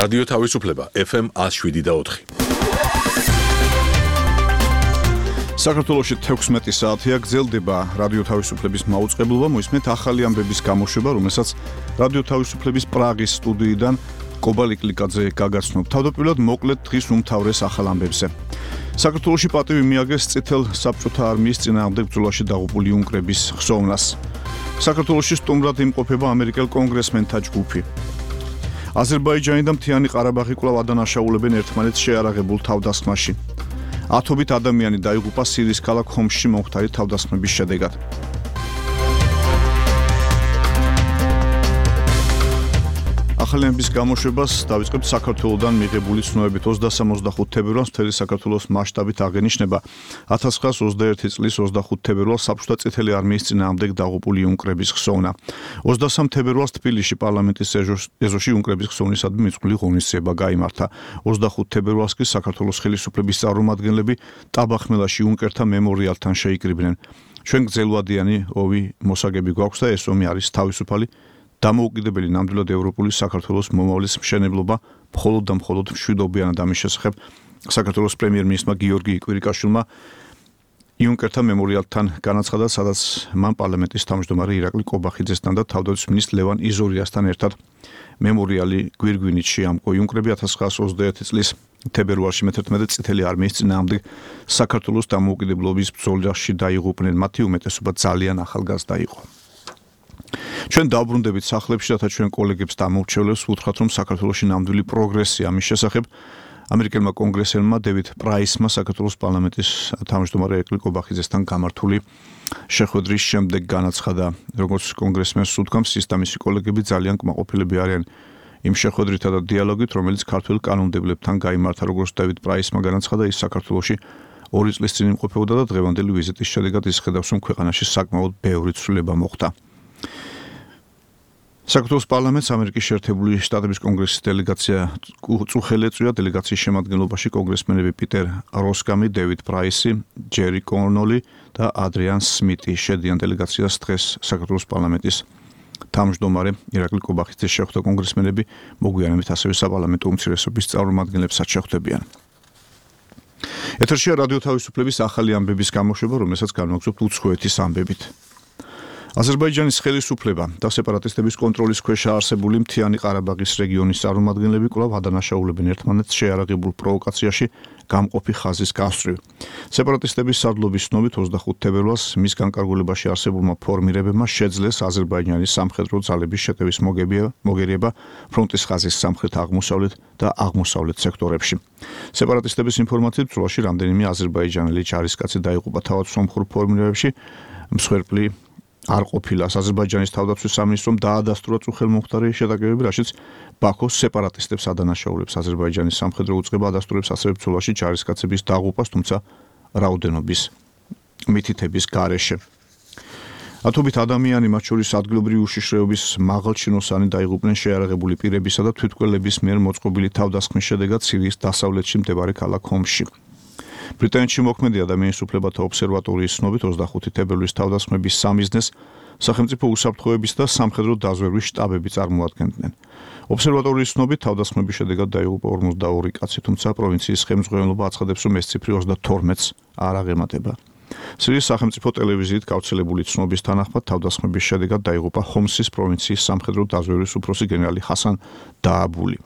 რადიო თავისუფლება FM 107.4. საქართველოში 16 საათია გრძელდება რადიო თავისუფლების მაუწყებლობა, მოისმენთ ახალი ამბების გამოშვება, რომელსაც რადიო თავისუფლების პრაღის სტუდიიდან კობალიკ ლიკაძე გაგაცნობ. თავდაპირველად მოკლედ დღის უმთავრეს ახალ ამბებზე. საქართველოში პატივი მიაგეს წითელ საბჭოთა არმიის წინააღმდეგ ბრძოლაში დაღუპული იუნკრების ხსოვნას. საქართველოში სტუმრად იმყოფება ამერიკელ კონგრესმენთა ჯგუფი. აზერბაიჯანი და მთიანი ყარაბაღი კვლავ ადანაშაულებენ ერთმანეთს შეარაღებულ თავდასხმაში. ათობით ადამიანი დაიღუპა სირიის ქალაქ ჰომსში მომხდარი თავდასხმების შედეგად. ახალი ამბების გამოშვებას დავიწყებთ საქართველოდან მიღებული ცნობებით 23-25 თებერვალს მთელი საქართველოს მასშტაბით აღენიშნება 1921 წლის 25 თებერვალს საბჭოთა წითელი არმიის წინააღმდეგ დაღუპული იუნკრების ხსოვნა. 23 თებერვალს თბილისში პარლამენტის ეზოში იუნკრების ხსოვნისადმი მიწვეული ღონისძიება გაიმართა. 25 თებერვალს კი საქართველოს ხელისუფლების წარმომადგენლები ტაბახმელაში იუნკერთა მემორიალთან შეიკრიბნენ. ჩვენ გრძელვადიანი ოვი მოსაგები გვაქვს და ეს ომი არის თავისუფალი დამოუკიდებელი ნამდვილად ევროპული საქართველოს მომავლის მშენებლობა მხოლოდ და მხოლოდ მშვიდობიანად ამის შესახებ საქართველოს პრემიერ-მინისტრმა გიორგი კვირიკაშვილმა იუნკერთა მემორიალთან განაცხადა, სადაც მან პარლამენტის თავმჯდომარე ირაკლი კობახიძესთან და თავდაცვის მინისტრ ლევან იზორიასთან ერთად მემორიალი გვირგვინეთში ამკო. იუნკრები 1921 წლის თებერვალში მე-11 წითელი არმიის წინააღმდეგ საქართველოს დამოუკიდებლობის ბრძოლაში დაიღუპნენ. მათი უმეტესობა ძალიან ახალგაზრდა იყო. ჩვენ დავბრუნდებით სახლებში, რათა ჩვენ კოლეგებს დამოურჩევლებს ვუთხრათ, რომ საქართველოში ნამდვილი პროგრესია ამის შესახებ. ამერიკელმა კონგრესელმა დევიდ პრაისმა საქართველოს პარლამენტის თავმჯდომარე ირაკლი კობახიძესთან გამართული შეხვედრის შემდეგ განაცხადა, როგორც კონგრესმენს უთქვამს, ის და მისი კოლეგები ძალიან კმაყოფილები არიან იმ შეხვედრითა და დიალოგით, რომელიც ქართველ კანონმდებლებთან გაიმართა. როგორც დევიდ პრაისმა განაცხადა, ის საქართველოში 2 წლის წინ იმყოფებოდა და დღევანდელი ვიზიტის შედეგად ის ხედავს, რომ ქვეყანაში საკმაოდ ბევრი ცვლილება მოხდა. საქართველოს პარლამენტს ამერიკის შეერთებული შტატების კონგრესის დელეგაცია წუხელი ეწვია. დელეგაციის შემადგენლობაში კონგრესმენები პიტერ როსკამი, დევიდ პრაისი, ჯერი კონოლი და ადრიან სმიტი. შედიან დელეგაციას დღეს საქართველოს პარლამენტის თავმჯდომარე ირაკლი კობახიძეს შეხვდა. კონგრესმენები მოგვიანებით ასევე საპარლამენტო უმცირესობის წარმომადგენლებსაც შეხვდებიან. ეთერშია რადიო თავისუფლების ახალი ამბების გამოშვება, რომელსაც განვაგრძობთ უცხოეთის ამბებით. აზერბაიჯანის ხელისუფლება და სეპარატისტების კონტროლის ქვეშ არსებული მთიანი ყარაბაღის რეგიონის წარმომადგენლები კვლავ ადანაშაულებენ ერთმანეთს შეარაღებულ პროვოკაციაში გამყოფი ხაზის გასწვრივ. სეპარატისტების სარდლობის ცნობით 25 თებერვალს მის განკარგულებაში არსებულმა ფორმირებებმა შეძლეს აზერბაიჯანის სამხედრო ძალების შეტევის მოგერიება ფრონტის ხაზის სამხრეთ-აღმოსავლეთ და აღმოსავლეთ სექტორებში. სეპარატისტების ინფორმაციით ბრძოლაში რამდენიმე აზერბაიჯანელი ჯარისკაცი დაიღუპა. თავად სომხურ ფორმირებებში მსხვერპლი არ ყოფილა. აზერბაიჯანის თავდაცვის სამინისტრომ დაადასტურა წუხელმომხდარი შეტაკებები, რაშიც ბაქოს სეპარატისტებს ადანაშაულებს. აზერბაიჯანის სამხედრო უწყება ადასტურებს ასევე ბრძოლაში ჯარისკაცების დაღუპვას, თუმცა რაოდენობის მითითების გარეშე. ათობით ადამიანი, მათ შორის ადგილობრივი უშიშროების მაღალჩინოსანი დაიღუპნენ შეარაღებული პირებისა და თვითმკვლელების მიერ მოწყობილი თავდასხმის შედეგად სირიის დასავლეთში მდებარე ქალაქ ჰომსში. ბრიტანეთში მოქმედი ადამიანის უფლებათა ობსერვატორიის ცნობით 25 თებერვლის თავდასხმების სამიზნეს სახელმწიფო უსაფრთხოების და სამხედრო დაზვერვის შტაბები წარმოადგენდნენ. ობსერვატორიის ცნობით თავდასხმების შედეგად დაიღუპა 42 კაცი, თუმცა პროვინციის ხელმძღვანელობა აცხადებს, რომ ეს ციფრი 32-ს არ აღემატება. სირიის სახელმწიფო ტელევიზიით გავრცელებული ცნობის თანახმად თავდასხმების შედეგად დაიღუპა ჰომსის პროვინციის სამხედრო დაზვერვის უფროსი გენერალი ჰასან დააბული.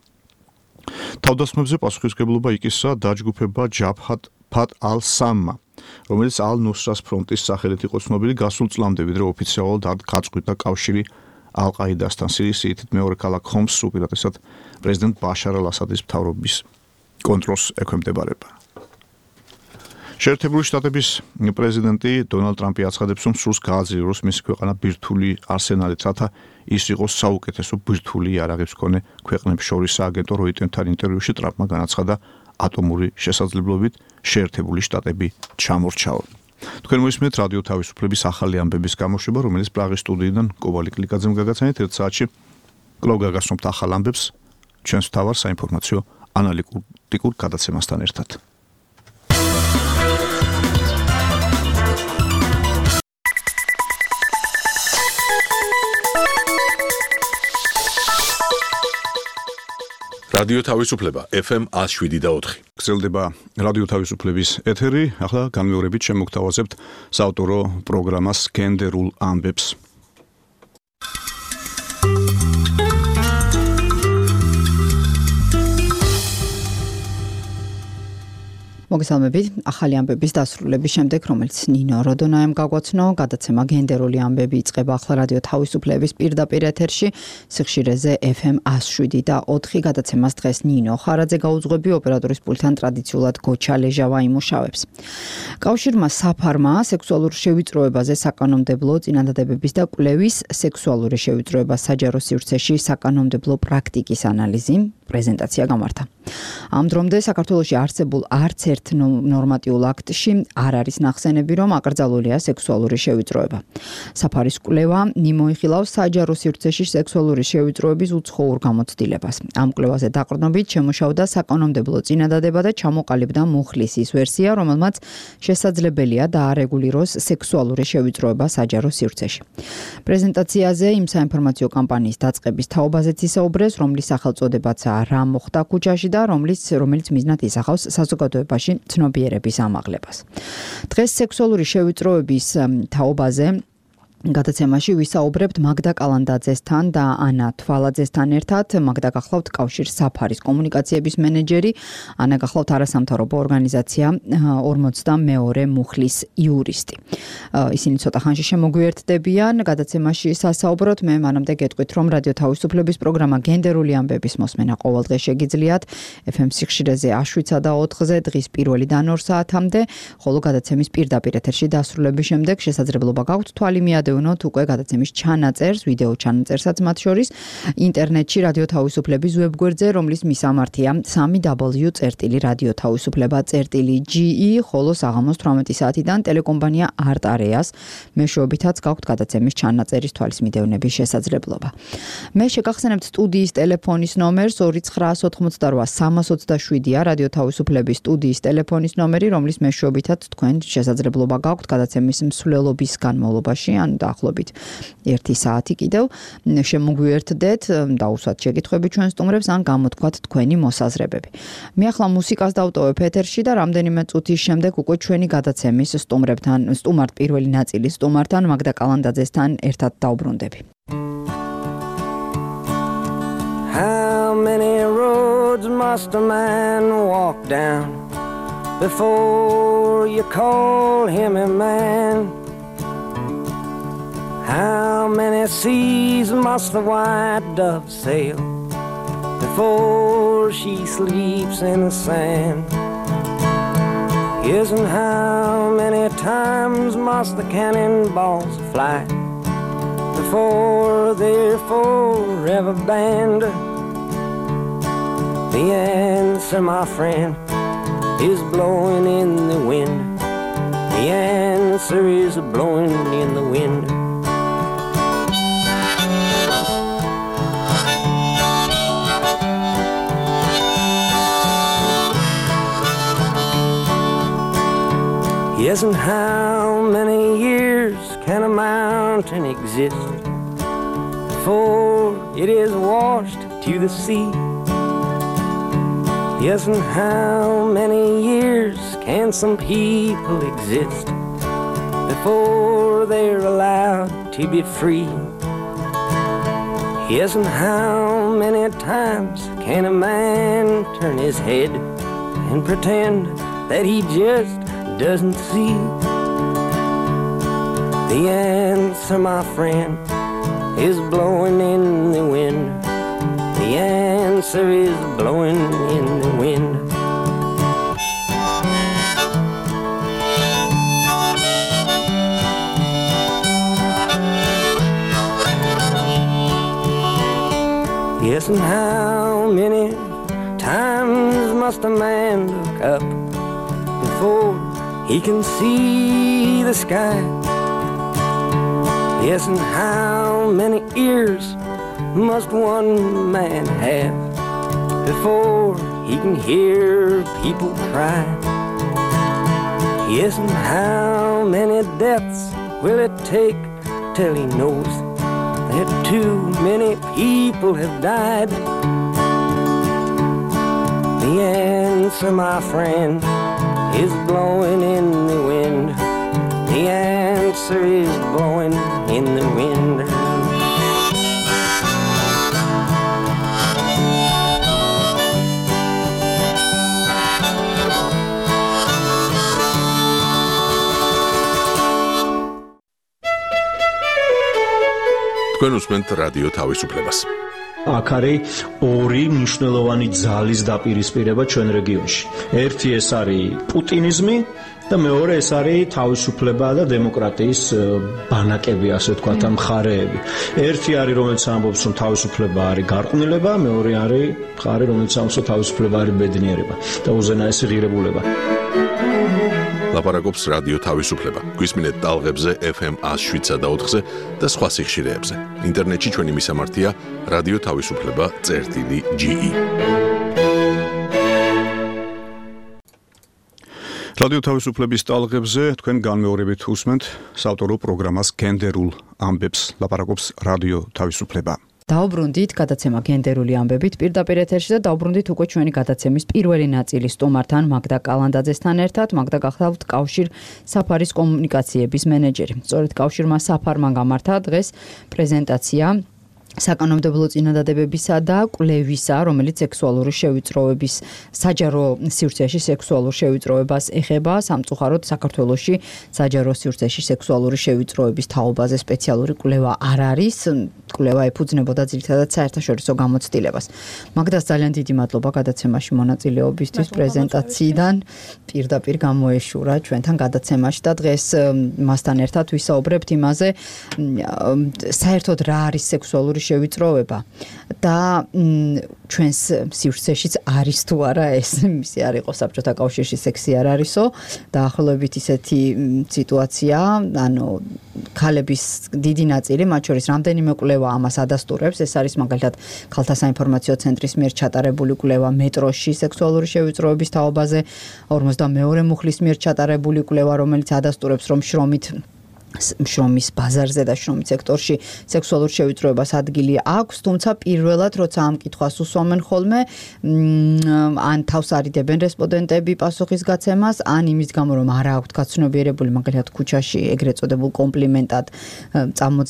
თავდასხმებზე პასუხისმგებლობა იკისრა დაჯგუფება ჯაბჰატ ფათ ალ-სამმა, რომელიც ალ-ნუსრას ფრონტის სახელით იყო ცნობილი გასულ წლამდე, ვიდრე ოფიციალურად არ გაწყვიტა კავშირი ალ-ყაიდასთან. სირიის სიითით მეორე ქალაქ ჰომსს უპირატესად პრეზიდენტ ბაშარ ალ-ასადის მთავრობის კონტროლს ექვემდებარება. შეერთებული შტატების პრეზიდენტი დონალდ ტრამპი აცხადებს, რომ სურს გააძლიეროს მისი ქვეყანა ბირთვული არსენალით, რათა ის იყოს საუკეთესო ბირთვული იარაღის მქონე ქვეყნებს შორის. სააგენტო როიტერთან ინტერვიუში ტრამპმა განაცხადა, ატომური შესაძლებლობით შეერთებული შტატები ჩამორჩაო. თქვენ მოისმენთ რადიო თავისუფლების ახალი ამბების გამოშვება, რომელიც პრაღის სტუდიიდან კობალიკ ლიკაძემ გაგაცანეთ. 1 საათში კვლავ გაგაცნობთ ახალ ამბებს ჩვენს მთავარ საინფორმაციო ანალიტიკურ გადაცემასთან ერთად. რადიო თავისუფლება FM 107.4. გრძელდება რადიო თავისუფლების ეთერი. ახლა განმეორებით შემოგთავაზებთ საავტორო პროგრამას გენდერულ ამბებს. მოგესალმებით. ახალი ამბების დასრულების შემდეგ, რომელიც ნინო როდონაემ გაგვაცნო, გადაცემა გენდერული ამბები იწყება ახლა რადიო თავისუფლების პირდაპირ ეთერში, სიხშირეზე FM 107.4 გადაცემას დღეს ნინო ხარაძე გაუძღვები, ოპერატორის პულტთან ტრადიციულად გოჩა ლეჟავა იმუშავებს. კავშირმა საფარმა სექსუალურ შევიწროებაზე საკანონმდებლო წინადადებების და კვლევის სექსუალური შევიწროება საჯარო სივრცეში საკანონმდებლო პრაქტიკის ანალიზი პრეზენტაცია გამართა. ამ დრომდე საქართველოში არსებულ არც ერთ ნორმატიულ აქტში არ არის ნახსენები, რომ აკრძალულია სექსუალური შევიწროება. საფარის კვლევა მიმოიხილავს საჯარო სივრცეში სექსუალური შევიწროების უცხოურ გამოცდილებას. ამ კვლევაზე დაყრდნობით შემუშავდა საკანონმდებლო წინადადება და ჩამოყალიბდა მუხლის ის ვერსია, რომელმაც შესაძლებელია დაარეგულიროს სექსუალური შევიწროება საჯარო სივრცეში. პრეზენტაციაზე იმ საინფორმაციო კამპანიის დაწყების თაობაზეც ისაუბრეს, რომლის სახელწოდებაცაა რა მოხდა ქუჩაში და რომელიც მიზნად ისახავს საზოგადოებაში ცნობიერების ამაღლებას. დღეს სექსუალური შევიწროების თაობაზე გადაცემაში ვისაუბრებთ მაგდა კალანდაძესთან და ანა თვალაძესთან ერთად. მაგდა გახლავთ კავშირ საფარის კომუნიკაციების მენეჯერი, ანა გახლავთ არასამთავრობო ორგანიზაცია 42 მუხლის იურისტი. ისინი ცოტა ხანში შემოგვიერთდებიან გადაცემაში სასაუბროთ. მე მანამდე გეტყვით, რომ რადიო თავისუფლების პროგრამა გენდერული ამბების მოსმენა ყოველდღე შეგიძლიათ FM სიხშირეზე 7-ზე და 4-ზე დღის 1-დან 2 საათამდე, ხოლო გადაცემის პირდაპირ ეთერში დასრულების შემდეგ შესაძლებლობა გაქვთ თვალი მიადევნოთ უკვე გადაცემის ჩანაწერს, ვიდეო ჩანაწერსაც მათ შორის ინტერნეტში რადიო თავისუფლების ვებგვერდზე, რომლის მისამართია www.radiotavisufleba.ge, ხოლო საღამოს 18 საათიდან ტელეკომპანია არტ-არეას მეშვეობითაც გაქვთ გადაცემის ჩანაწერის თვალის მიდევნების შესაძლებლობა. მე შეგახსენებთ სტუდიის ტელეფონის ნომერს 2988327-ია რადიო თავისუფლების სტუდიის ტელეფონის ნომერი, რომლის მეშვეობითაც თქვენ შესაძლებლობა გაქვთ გადაცემის მსვლელობის განმავლობაში ან დაახლოებით 1 საათი კიდევ შემოგვიერთდეთ, დაუსვათ შეკითხვები ჩვენ სტუმრებს ან გამოთქვათ თქვენი მოსაზრებები. მე ახლა მუსიკას დავტოვებ ეთერში და რამდენიმე წუთის შემდეგ უკვე ჩვენი გადაცემის სტუმართ პირველი ნაწილის სტუმართან მაგდა კალანდაძესთან ერთად დავბრუნდები. How many roads must a man walk down before you call him a man? How many seas must the white dove sail before she sleeps in the sand? Yes, and how many times must the cannonballs fly before they're forever banned? The answer, my friend, is blowing in the wind. The answer is blowing in the wind. Yes, and how many years can a mountain exist before it is washed to the sea? Yes, and how many years can some people exist before they're allowed to be free? Yes, and how many times can a man turn his head and pretend that he just doesn't see? The answer, my friend, is blowing in the wind. The answer is blowing in the wind. Yes, and how many times must a man look up before he can see the sky? Yes, and how many ears must one man have before he can hear people cry? Yes, and how many deaths will it take till he knows that too many people have died? The answer, my friend, is blowing in the wind. The answer is blowing in the wind. თქვენ უსმენთ რადიო თავისუფლებას. აქ არის ორი მნიშვნელოვანი ძალის დაპირისპირება ჩვენ რეგიონში. ერთი ეს არის პუტინიზმი და მეორე ეს არის თავისუფლება და დემოკრატიის ბანაკები, ასე ვთქვათ, მხარეები. ერთი არის, რომელიც ამბობს, რომ თავისუფლება არის გარყვნილება, მეორე არის მხარე, რომელიც ამბობს, რომ თავისუფლება არის ბედნიერება და უზენაესი ღირებულება. ლაპარაკობს რადიო თავისუფლება. გვისმინეთ ტალღებზე FM 107.4-ზე და სხვა სიხშირეებზე. ინტერნეტში ჩვენი მისამართია რადიო თავისუფლება.ge. რადიო თავისუფლების ტალღებზე თქვენ განმეორებით უსმენთ საავტორო პროგრამას გენდერულ ამბებს. ლაპარაკობს რადიო თავისუფლება. დაუბრუნდით გადაცემა გენდერული ამბებით პირდაპირ ეთერში და დაუბრუნდით უკვე ჩვენი გადაცემის პირველი ნაწილის სტუმართან მაგდა კალანდაძესთან ერთად. მაგდა გახლავთ კავშირ საფარის კომუნიკაციების მენეჯერი. სწორედ კავშირმა საფარმა გამართა დღეს პრეზენტაცია საკანონმდებლო წინადადებებისა და კვლევისა, რომელიც სექსუალური შევიწროების საჯარო სივრცეში სექსუალურ შევიწროებას ეხება. სამწუხაროდ საქართველოში საჯარო სივრცეში სექსუალური შევიწროების თაობაზე სპეციალური კვლევა არ არის. კვლევა ეფუძნებოდა ძირითადად საერთაშორისო გამოცდილებას. მაგდას ძალიან დიდი მადლობა გადაცემაში მონაწილეობისთვის პრეზენტაციიდან. პირდაპირ გამოეშურა ჩვენთან გადაცემაში და დღეს მასთან ერთად ვისაუბრებთ იმაზე, საერთოდ რა არის სექსუალური შევიწროება და ჩვენს სივრცეშიც არის თუ არა ეს მისი არ იყო საბჭოთა კავშირში სექსი არ არისო დაახლოებით ისეთი სიტუაცია, ანუ ქალების დიდი ნაწილი, მათ შორის რამდენიმე კვლევა ამას ადასტურებს. ეს არის მაგალითად ქალთა საინფორმაციო ცენტრის მიერ ჩატარებული კვლევა მეტროში სექსუალური შევიწროების თაობაზე, 42 მუხლის მიერ ჩატარებული კვლევა, რომელიც ადასტურებს, რომ შრომის ბაზარზე და შრომის სექტორში სექსუალურ შევიწროებას ადგილი აქვს, თუმცა პირველად როცა ამ კითხვას უსვამენ ხოლმე, ან თავს არიდებენ რესპონდენტები პასუხის გაცემას, ან იმის გამო რომ არ აქვთ გაცნობიერებული მაგალითად ქუჩაში ეგრეთ წოდებულ კომპლიმენტად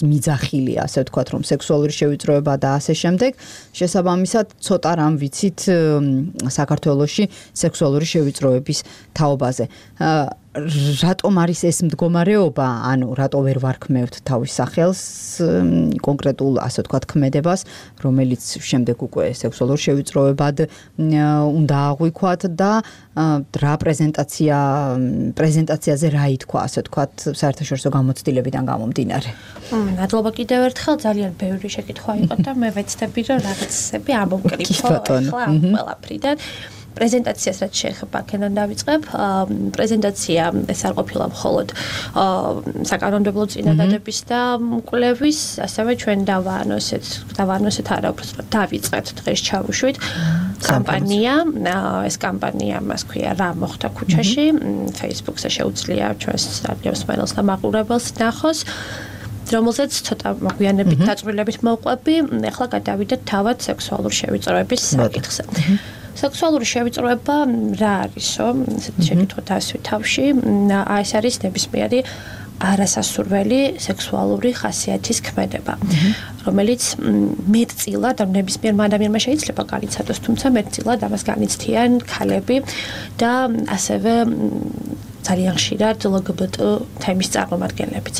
მიძახილია, ასე ვთქვათ, რომ სექსუალური შევიწროება და ასე შემდეგ, შესაბამისად ცოტა რამ ვიცით საქართველოში სექსუალური შევიწროების თაობაზე. რატომ არის ეს მდგომარეობა, ანუ რატო ვერ ვარქმევთ თავის სახელს კონკრეტულ, ასე ვთქვათ, ქმედებას, რომელიც შემდეგ უკვე სექსუალურ შევიწროებად უნდა აღვიქვათ და რა პრეზენტაციაზე რა ითქვა, ასე ვთქვათ, საერთაშორისო გამოცდილებიდან გამომდინარე. მადლობა კიდევ ერთხელ, ძალიან ბევრი შეკითხვა იყო და მე ვეცდები რომ რაღაცები ამოვკრიფო ახლა ყველაფრიდან. პრეზენტაციას რაც შეეხება, აქედან დავიწყებ. პრეზენტაცია ეს არ ყოფილა მხოლოდ საკანონმდებლო წინადადების და კვლევის, ასევე ჩვენ დავაანონსეთ არა, უბრალოდ დავიწყეთ დღეს ჩავუშვით კამპანია. ეს კამპანია მას ქვია რა მოხდა ქუჩაში. Facebook-ზე შეუძლია ჩვენს რადიო მსმენელს და მაყურებელს ნახოს, რომელზეც ცოტა მოგვიანებით დაწვრილებით მოვყვები. ახლა გადავიდეთ თავად სექსუალურ შევიწროების საკითხზე. სექსუალური შევიწროება რა არისო? ესეთი შეკითხვა დასვით თავში. ეს არის ნებისმიერი არასასურველი სექსუალური ხასიათის ქმედება, რომელიც მეტწილად ნებისმიერ ადამიანმა შეიძლება განიცადოს, თუმცა მეტწილად ამას განიცდიან ქალები და ასევე ძალიან ხშირად LGBT თემის წარმომადგენლებიც.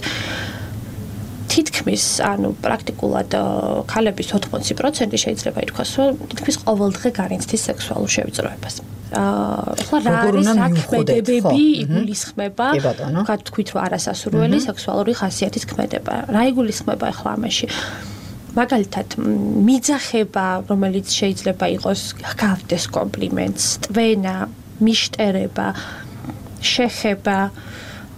თითქმის, ანუ პრაქტიკულად ქალების 80% შეიძლება ითქვას, რომ თითქმის ყოველდღე განიცდის სექსუალურ შევიწროებას. ახლა რა არის საქმედებები იგულისხმება, თქვით რომ არასასურველი სექსუალური ხასიათის ქმედება. რა იგულისხმება ახლა ამაში? მაგალითად, მიძახება, რომელიც შეიძლება იყოს გავდეს კომპლიმენტს, ტვენა, მიშტერება, შეხება,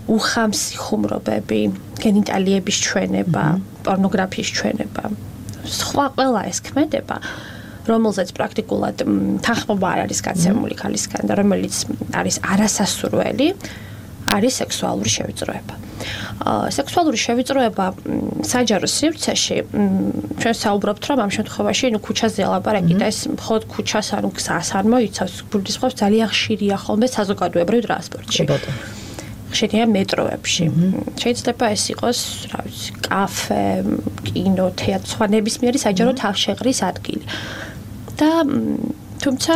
უხამსი ხუმრობები, გენიტალიების ჩვენება, პორნოგრაფიის ჩვენება, სხვა ყველა ეს ქმედება, რომელზეც პრაქტიკულად თანხმობა არ არის გაცემული ქალისგან და რომელიც არის არასასურველი, არის სექსუალური შევიწროება. სექსუალური შევიწროება საჯარო სივრცეში ჩვენ საუბრობთ რომ ამ შემთხვევაში ქუჩაზე ლაპარაკი და ეს მხოლოდ ქუჩას ანუ გზას არ მოიცავს გულისხმობს ძალიან ხშირია ხოლმე საზოგადოებრივ ტრანსპორტში. ხშირია მეტროებში. შეიძლება ეს იყოს, რა ვიცი, კაფე, კინო, თეატრი, სხვა ნებისმიერი საჯარო თავშეყრის ადგილი. და თუმცა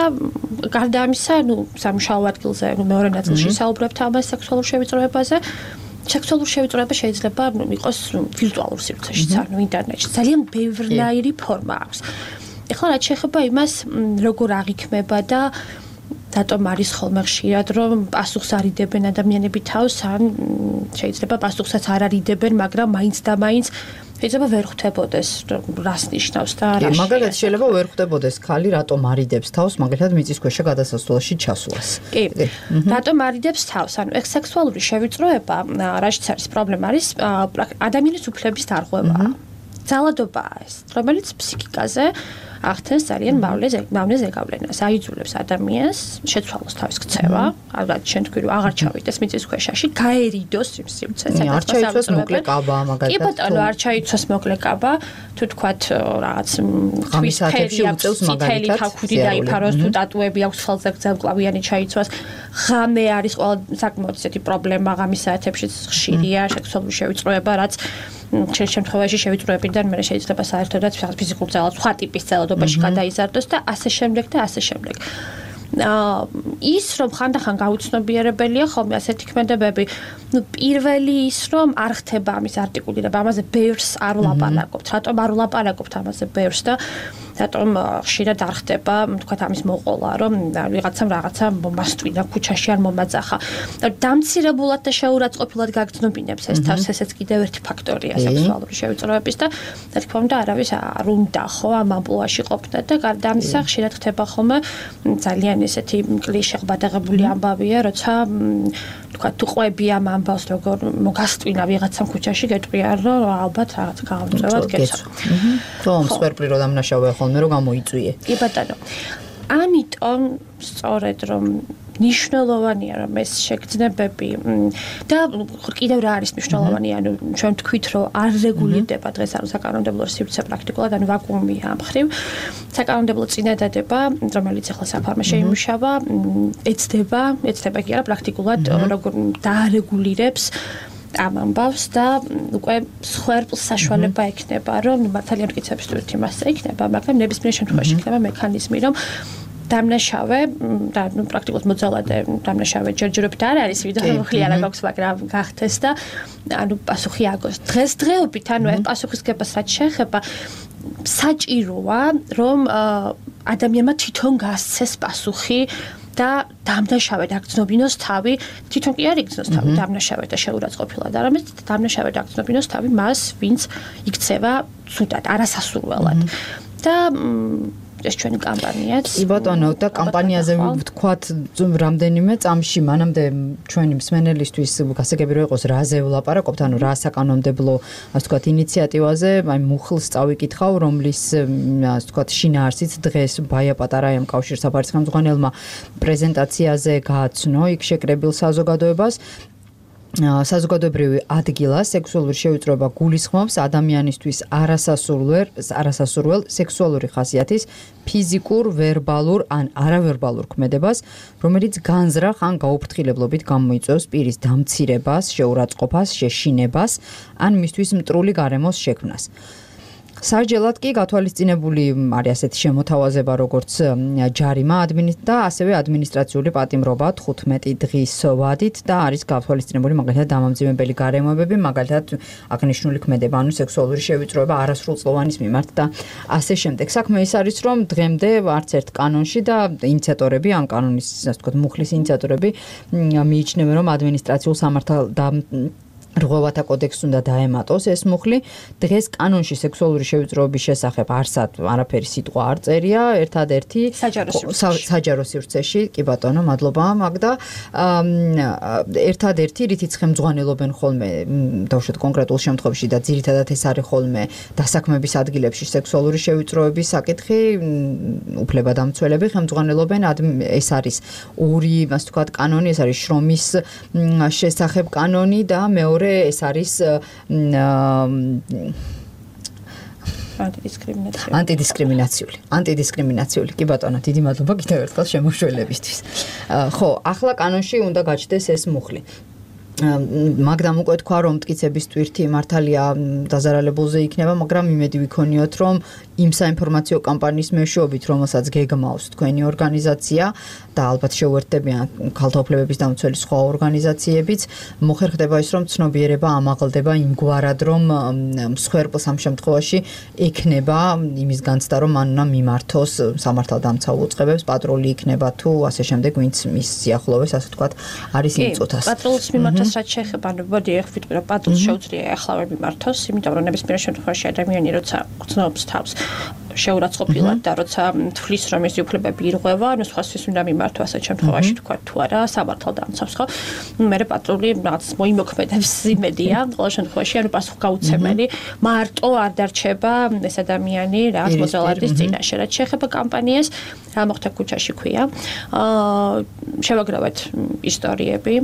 გარდა ამისა, სამუშაო ადგილზე, მეორე ნაწილში საუბრობთ ამას სექსუალურ შევიწროებაზე. სექსუალური შევიწროება შეიძლება იყოს ვირტუალურ სივრცეშიც, ინტერნეტში. ძალიან ბევრნაირი ფორმა აქვს. ეხლა რაც შეეხება იმას, როგორ აღიქმება და რატომ არის ხოლმე ხშირად რომ პასუხს არიდებენ ადამიანები თავს, ან შეიძლება პასუხსაც არ არიდებენ, მაგრამ მაინც და მაინც შეიძლება ვერ ხვდებოდეს რას ნიშნავს და რა. მაგალითად შეიძლება ვერ ხვდებოდეს ხალი რატომ არიდებს თავს, მაგალითად მიწისქვეშა გადასასვლელში ჩასვლას. კი. რატომ არიდებს თავს? ანუ ეს სექსუალური შევიწროება, რაშიც არის პრობლემა არის ადამიანის უფლების დარღვევაა. ძალადობაა ეს, რომელიც ფსიქიკაზე ახდენს ძალიან მავნე ზეგავლენას, აიძულებს ადამიანს შეცვალოს თავის ქცევა, ალბათ შენ თქვი რომ აღარ ჩავიდეს მიწისქვეშაში, გაერიდოს იმ სივრცეზე. არ ჩაიცვას მოკლე კაბა მაგალითად. კი ბატონო, არ ჩაიცვას მოკლე კაბა, თუ თქვათ რაღაც ხამის საათებში უწევს მაგალითად. თავქუდი დაიფაროს, თუ ტატუები აქვს ხელზე გზელკლავიანი ჩაიცვას. ღამე არის ყველა საკმაოდ ისეთი პრობლემა ღამის საათებში ხშირია სექსუალური შევიწროება, რაც შემთხვევაში შევიწროებიდან მე შეიძლება საერთოდაც ფიზიკურ ძალად სხვა ტიპის ძალადობაში გადაიზარდოს და ასე შემდეგ და ასე შემდეგ. ის რომ ხანდახან გაუცნობიერებელია ხოლმე ასეთი ქმედებები, პირველი ის რომ არ ხდება ამის არტიკულირება, ამაზე ბევრს არ ვლაპარაკობთ, რატომ არ ვლაპარაკობთ ამაზე ბევრს და რატომ ხშირად არ ხდება, თქვათ ამის მოყოლა, რომ ვიღაცამ რაღაცა მომასტვინა ქუჩაში არ მომაძახა. დამცირებულად და შეურაცხყოფილად გაგრძნობინებს ეს თავს, ესეც კიდევ ერთი ფაქტორია სექსუალური შევიწროების და რა თქმა უნდა არავის არ უნდა ხო ამ ამპლუაში ყოფნა და გარდა ამისა ხშირად ხდება ხოლმე ძალიან ესეთი კლიშე ღბადაღებული ამბავია, როცა თქვათ თუ ყვები ამ ამბავს როგორ მოგასტვინა ვიღაცამ ქუჩაში გეტყვია რომ ალბათ რაღაც გამომწევად გეცო. რომ სპერპლი რომ დამნაშავე ხოლმე რომ გამოიწვიე. კი ბატონო. ამიტომ სწორედ რომ ნიშნულოვანია რომ ეს შეგრძნებები და კიდევ რა არის მნიშვნელოვანი, ანუ ჩვენ თქვით რომ არ რეგულირდება დღეს ანუ საკანონმდებლო სივრცე პრაქტიკულად, ანუ ვაკუუმია ამ ხრივ. საკანონმდებლო წინადადება, რომელიც ახლა საფარმე შეიმუშავა, ეცდება კი არა პრაქტიკულად როგორ დაარეგულირებს ამ ამბავს და უკვე სხერპლს საშუალება ექნება, რომ ძალიან მტკიცების თურთ იმასე იქნება, მაგრამ ნებისმიერ შემთხვევაში იქნება მექანიზმი, რომ დამნაშავე და პრაქტიკულად მოძალადე დამნაშავე ჯერჯერობით არ არის, ვიდრე მოხლი არა გაქვს, მაგრამ გახდეს და ანუ პასუხი აგოს. დღესდღეობით ანუ ეს პასუხისგებას რაც შეეხება საჭიროა, რომ ადამიანმა თვითონ გასცეს პასუხი და დამნაშავედ აგრძნობინოს თავი, თვითონ კი არ იგრძნოს თავი დამნაშავედ და შეურაცხყოფილად, არამედ დამნაშავედ აგრძნობინოს თავი მას, ვინც იქცევა ცუდად, არასასურველად. და ეს ჩვენი კამპანიაც. კი ბატონო, და კამპანიაზე ვთქვათ რამდენიმე წამში, მანამდე ჩვენი მსმენელისთვის გასაგები რომ იყოს რაზე ვლაპარაკობთ, ანუ რა საკანონმდებლო, ასე ვთქვათ, ინიციატივაზე, აი მუხლს წავიკითხავ, რომლის ასე ვთქვათ, შინაარსიც დღეს ბაია პატარაიამ კავშირსაფარის ხელმძღვანელმა პრეზენტაციაზე გააცნო იქ შეკრებილ საზოგადოებას. საზოგადოებრივი ადგილა სექსუალური შევიწროება გულისხმობს ადამიანისთვის არასასურველ სექსუალური ხასიათის ფიზიკურ, ვერბალურ ან არავერბალურ ქმედებას, რომელიც განზრახ ან გაუფრთხილებლობით გამოიწვევს პირის დამცირებას, შეურაცხყოფას, შეშინებას ან მისთვის მტრული გარემოს შექმნას. Sargelat კი გათვალისწინებული არის ასეთი შემოთავაზება, როგორც ჯარიმა და ასევე ადმინისტრაციული პატიმრობა 15 დღის ვადით და არის გათვალისწინებული მაგალითად დამამძიმებელი გარემოებები, მაგალითად აღნიშნული ქმედება, ანუ სექსუალური შევიწროება არასრულწლოვანის მიმართ და ასე შემდეგ. საქმე ის არის, რომ დღემდე არც ერთ კანონში და ინიციატორები, ამ კანონის ასე ვთქვათ, მუხლის ინიციატორები მიიჩნევენ, რომ ადმინისტრაციულ რღვევათა კოდექსს უნდა დაემატოს ეს მუხლი. დღეს კანონში სექსუალური შევიწროების შესახებ არაფერი სიტყვა არ წერია, ერთადერთი საჯარო სივრცეში. კი ბატონო, მადლობა მაგდა. ერთადერთი რითიც ხელმძღვანელობენ ხოლმე დავუშვათ კონკრეტულ შემთხვევაში და ძირითადად ეს არის ხოლმე დასაქმების ადგილებში სექსუალური შევიწროების საკითხი, უფლებადამცველები ხელმძღვანელობენ. ეს არის ორი, ასე ვთქვათ, კანონი, ეს არის შრომის შესახებ კანონი და მეორე ეს არის ანტიდისკრიმინაციული. კი ბატონო, დიდი მადლობა კიდევ ერთხელ შემოშველებისთვის. ხო, ახლა კანონში უნდა გაჩნდეს ეს მუხლი. მაგდამ უკვე თქვა, რომ მტკიცების ტვირთი მართალია დაზარალებულზე იქნება, მაგრამ იმედი ვიქონიოთ, რომ იმ საინფორმაციო კამპანიის მეშვეობით, რომელსაც გეგმავს თქვენი ორგანიზაცია და ალბათ შეუერთდებიან ქალთა უფლებების დამცველი სხვა ორგანიზაციებიც, მოხერხდება ის, რომ ცნობიერება ამაღლდება იმგვარად, რომ მსხვერპლს ამ შემთხვევაში ექნება იმის განცდა, რომ მან უნდა მიმართოს სამართალდამცავ უწყებებს, პატრული იქნება თუ ასე შემდეგ, ვინც მის სიახლოვეს, ასე ვთქვათ, არის იმ წუთას. პატრულს მიმართოს რაც შეეხება, მოდი ახ ვიტყვი, რომ პატრულს შეუძლია ახლავე მიმართოს, იმიტომ რომ ნებისმიერ შემთხვევაში ადამიანი როცა გრძნობს თავს შეურაცხყოფილად და როცა თვლის რომ ეს უფლებები ირღვევა, ანუ სხვასთვის უნდა მიმართო ასეთ შემთხვევაში თქვა თუ არა სამართალდამცავს, ხო? მე პატრული რაღაც მოიმოქმედებს იმედია, ყოველ შემთხვევაში ანუ პასუხგაუცემელი მარტო არ დარჩება ეს ადამიანი რაღაც მოძალადის წინაშე. რაც შეეხება კამპანიას, რა მოხდა ქუჩაში ქვია. შევაგრავეთ ისტორიები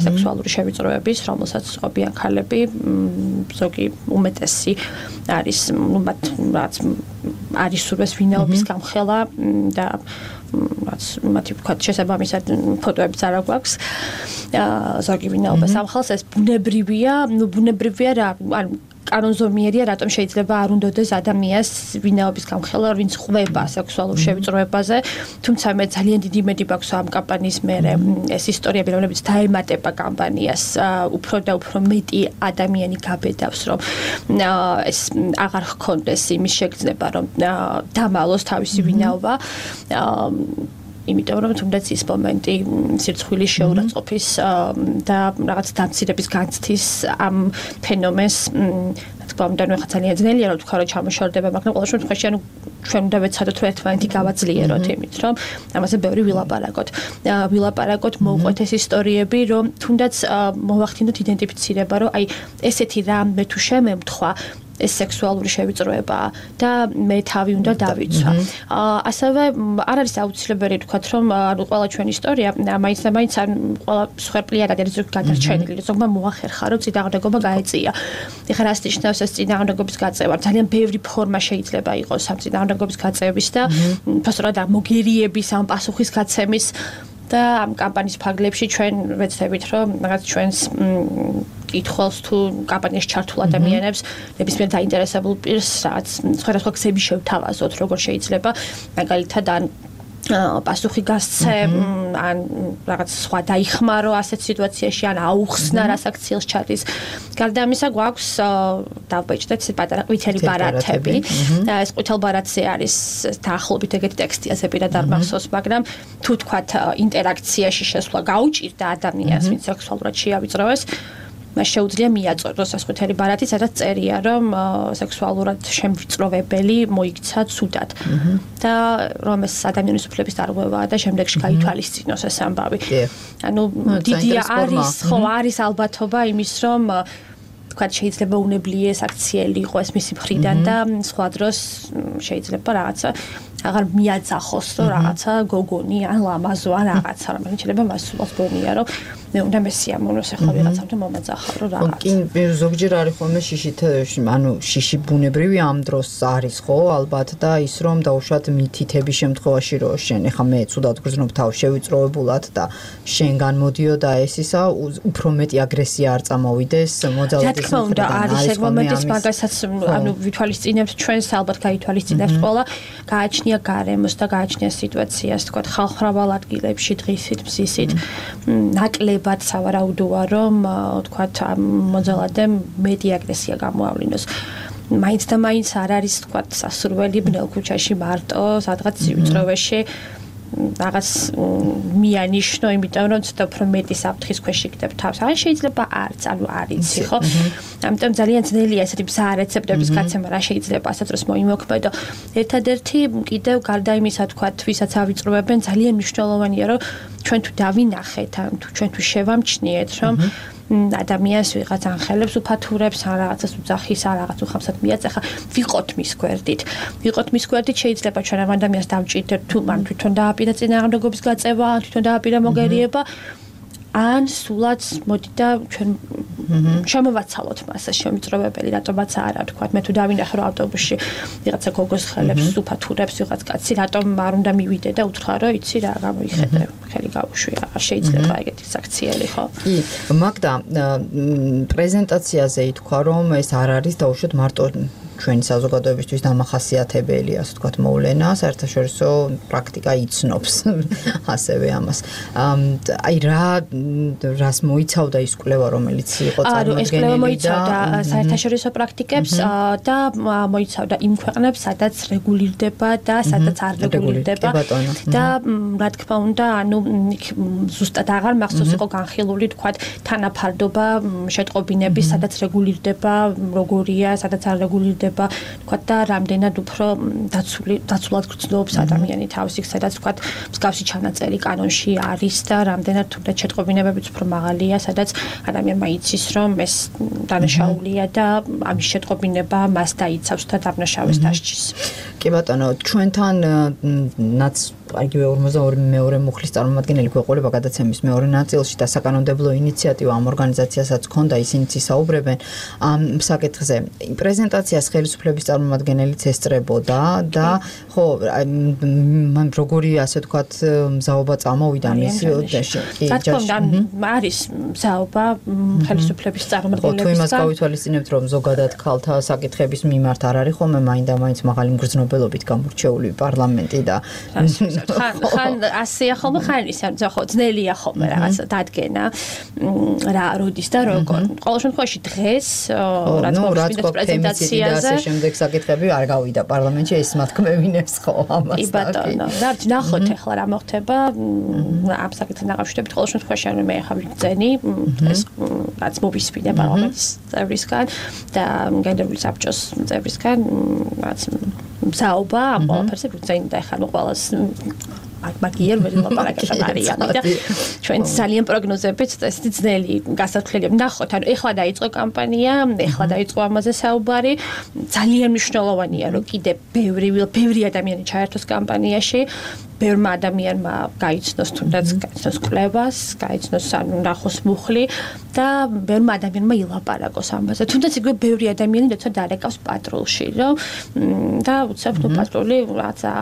სექსუალური შევიწროების, რომელსაც ყოფიან ქალები, ზოგი უმეტესი არის, მათ რაც არის სურვეს ვინაობის გამხელა და რაც მათი ვქოთ შესაბამისად ფოტოებიც არ აქვს. ზოგი ვინაობას ამხელს, ეს ბუნებრივია რა, ანუ კანონზომიერია, რატომ შეიძლება არ უნდადეს ადამიანს ვინაობის გამხელა, ვინც ხვდება სექსუალურ შევიწროებაზე, თუმცა მე ძალიან დიდი იმედი მაქვს ამ კამპანიის მერე ეს ისტორიები, რომლებიც დაემატება კამპანიას, უფრო და უფრო მეტი ადამიანი გაბედავს, რომ ეს აღარ ჰქონდეს იმის შეგრძნება, რომ დამალოს თავისი ვინაობა. იმიტომ რომ თუნდაც ის მომენტი სირცხვილის შეურაცხყოფის და რაღაც დამცირების განცდის ამ ფენომენს თქმა უნდა ნუ ხა ძალიან ძნელია რომ თქვა რომ ჩამოშორდება, მაგრამ ყოველ შემთხვევაში ანუ ჩვენ უნდა ვეცადოთ რომ ერთმანეთი გავაძლიეროთ იმით რომ ამაზე ბევრი ვილაპარაკოთ მოვყვეთ ეს ისტორიები რომ თუნდაც მოვახდინოთ იდენტიფიცირება რომ აი ესეთი რამე თუ შემემთხვა ეს სექსუალური შევიწროებაა და მე თავი უნდა დავიცვა. ასევე არ არის აუცილებელი თქვათ რომ ანუ ყველა ჩვენი ისტორია მაინც ან ყველა მსხვერპლიანად არის გადარჩენილი, ზოგმა მოახერხა რომ წინააღმდეგობა გაეწია. ეხლა რას ნიშნავს ეს წინააღმდეგობის გაწევა? ძალიან ბევრი ფორმა შეიძლება იყოს ამ წინააღმდეგობის გაწევის და ფასურად მოგერიების ამ პასუხისგაცემის და ამ კამპანიის ფარგლებში ჩვენ ვეცდებით რომ რაღაც ჩვენს კითხულს თუ კამპანიაში ჩართულ ადამიანებს ნებისმიერ დაინტერესებულ პირს რაც სხვადასხვა გზები შევთავაზოთ როგორ შეიძლება მაგალითად ან პასუხი გასცე ან რაღაც სხვა დაიხმარო ასეთ სიტუაციაში ან აუხსნა რა საქციელს ჩადის. გარდა ამისა გვაქვს დავბეჭდეთ პატარა ყვითელი ბარათები. ეს ყვითელ ბარათზე არის დაახლოებით ეგეთი ტექსტია ზეპირად არ მახსოვს, მაგრამ თუ თქვათ ინტერაქციაში შესვლა გაუჭირდა ადამიანს ვინც სექსუალურად შეავიწროვეს, მას შეუძლია მიაწოდოს ეს ყვითელი ბარათი, სადაც წერია რომ სექსუალურად შემვიწროვებელი მოიქცა ცუდად და რომ ეს ადამიანის უფლების დარღვევაა და შემდეგში გაითვალისწინოს ეს ამბავი. ანუ დიდი არის ალბათობა იმის რომ თქვა შეიძლება უნებლიეს აქციელი იყო ეს მისი მხრიდან და სხვა დროს შეიძლება რაღაცა აღარ მიაძახოს რომ რაღაცა გოგონი ან ლამაზო ან რაღაცა მაგრამ შეიძლება მას სულაც გონია რომ მე უნდა მესიამოვნოს ახლა ვიღაცამ მომაძახა რომ რაღაცა. კი, ზოგჯერ არის ხოლმე შიში ბუნებრივი ამ დროს არის ხო ალბათ და ის რომ დაუშვათ მითითების შემთხვევაში რომ შენ ახლა მე ცუდად გრძნობ თავს შევიწროვებულად და შენგან მოდიოდა ეს ისა უფრო მეტი აგრესია არ წამოვიდეს მოძალადის მხრიდან. არის ეგ მომენტის მაგასაც ანუ ვითვალისწინებთ ჩვენს ალბათ გაითვალისწინებთ ყველა გააჩნია გარემოს და გააჩნია სიტუაციას თქვა ხალხმრავალ ადგილებში დღისით მზისით ნაკლებად სავარაუდოა რომ თქვა მოძალადემ მეტი აგრესია გამოავლინოს. მაინც და მაინც არ არის თქვა სასურველი ბნელ ქუჩაში მარტო სადღაც სივიწროვეში რაღაც მიანიშნო, იმიტომ რომ ცოტა უფრო მეტი საფრთხის ქვეშ იქნებ თავს. ან შეიძლება არც, ანუ არ იცი, ხო? ამიტომ ძალიან ძნელია ესეთი ბზა რეცეპტების გაცემა, რა შეიძლება ასეთ დროს მოიმოქმედო. ერთადერთი კიდევ გარდა იმისა, თქვათ, ვისაც ავიწროებენ, ძალიან მნიშვნელოვანია, რომ ჩვენ თუ დავინახეთ, ან თუ ჩვენ თუ შევამჩნიეთ, რომ ადამიანს ვიღაც ანხელებს უფათურებს, ან რაღაცას უძახის, ან რაღაც უხამსად მიაწეხა, ვიყოთ მის გვერდით. ვიყოთ მის გვერდით, შეიძლება ჩვენ ამ ადამიანს დავჭირდეთ, თუ მან თვითონ დააპირა წინააღმდეგობის გაწევა, ან თვითონ დააპირა მოგერიება, ან სულაც მოდი და ჩვენ შემოვაცალოთ მას შემიწროვებელი, რატომაც არა, თქვა, მე თუ დავინახე რომ ავტობუსში ვიღაცა გოგოს ხელებს უფათურებს, ვიღაც კაცი, რატომ არ უნდა მივიდე და უთხრა რომ იცი რა გამოიხედე, ხელი გავუშვია, არ შეიძლება ეგეთი საქციელი, ხო? კი, მაგდა პრეზენტაციაზე ითქვა რომ ეს არ არის დაუშვათ მარტო ჩვენი საზოგადოებისთვის დამახასიათებელი, ასე ვთქვათ, მოვლენა, საერთაშორისო პრაქტიკა იცნობს ასევე ამას. აი რას მოიცავდა ის კვლევა, რომელიც იყო წარმოდგენილი და ეს კვლევა მოიცავდა საერთაშორისო პრაქტიკებს და მოიცავდა იმ ქვეყნებს, სადაც რეგულირდება და სადაც არ რეგულირდება. და რა თქმა უნდა, ანუ ზუსტად აღარ მახსოვს იყო განხილული, თქვათ, თანაფარდობა შეტყობინების, სადაც რეგულირდება, როგორია, სადაც არ რეგულირდება თქვა და რამდენად უფრო დაცულად გრძნობს ადამიანი თავის იქ, სადაც თქვა მსგავსი ჩანაწერი კანონში არის და რამდენად თუნდაც შეტყობინებებიც უფრო მაღალია, სადაც ადამიანმა იცის, რომ ეს დანაშაულია და ამის შეტყობინება მას დაიცავს და დაბნაშავეს დასჯის. კი ბატონო, ჩვენთანაც იგივე 52 მუხლის წარმომადგენელი გვეყოლება გადაცემის მეორე ნაწილში და საკანონმდებლო ინიციატივა ამ ორგანიზაციასაც ჰქონდა, ისინიც ისაუბრებენ ამ საკითხზე. პრეზენტაციას ხელისუფლების წარმომადგენელიც ესწრებოდა და ხო, მან როგორი ასე ვთქვათ მზაობა წამოვიდა მის კი, რა თქმა უნდა, არის მზაობა ხელისუფლების წარმომადგენლებისგან. თუ იმას გავითვალისწინებთ, რომ ზოგადად ქალთა საკითხების მიმართ არ არის ხოლმე მაინდა-მაინც მაღალი მგრძნობელობით გამორჩეული პარლამენტი და ხან ასეა ხოლმე, ხან ისა, ხო, ძნელია ხოლმე რაღაცა დადგენა რა როდის და როგორ. ყოველ შემთხვევაში დღეს რაც მოვსმინეთ პრეზენტაციაზე ასე შემდეგ საკითხები არ გავიდა პარლამენტში, ეს მათქმევინებს ხო ამას. კი ბატონო, ნახოთ ახლა რა მოხდება ამ საკითხთან დაკავშირებით. ყოველ შემთხვევაში ანუ მე ახლა ვიგზენი ეს რაც მოვისმინე პარლამენტის წევრისგან და გენდერული საბჭოს წევრისგან რაც მზაობა ამ ყველაფერზე ვიგზენი და ახლა ყველას მაგიერ ვერ ლაპარაკებთ არიანი და ჩვენ ძალიან პროგნოზებით ესეთი ძნელი გასათვლელია. ნახოთ, ანუ ეხლა დაიწყო კამპანია, ეხლა დაიწყო ამაზე საუბარი. ძალიან მნიშვნელოვანია, რომ კიდე ბევრი ადამიანი ჩაერთოს კამპანიაში. ბევრმა ადამიანმა გაიცნოს თუნდაც გაიცნოს კვლევას, გაიცნოს ანუ ნახოს მუხლი და ბევრმა ადამიანმა ილაპარაკოს ამაზე. თუნდაც იგივე ბევრი ადამიანი როცა დარეკავს პატრულში, რომ და უცებ ნუ პატრული რაცა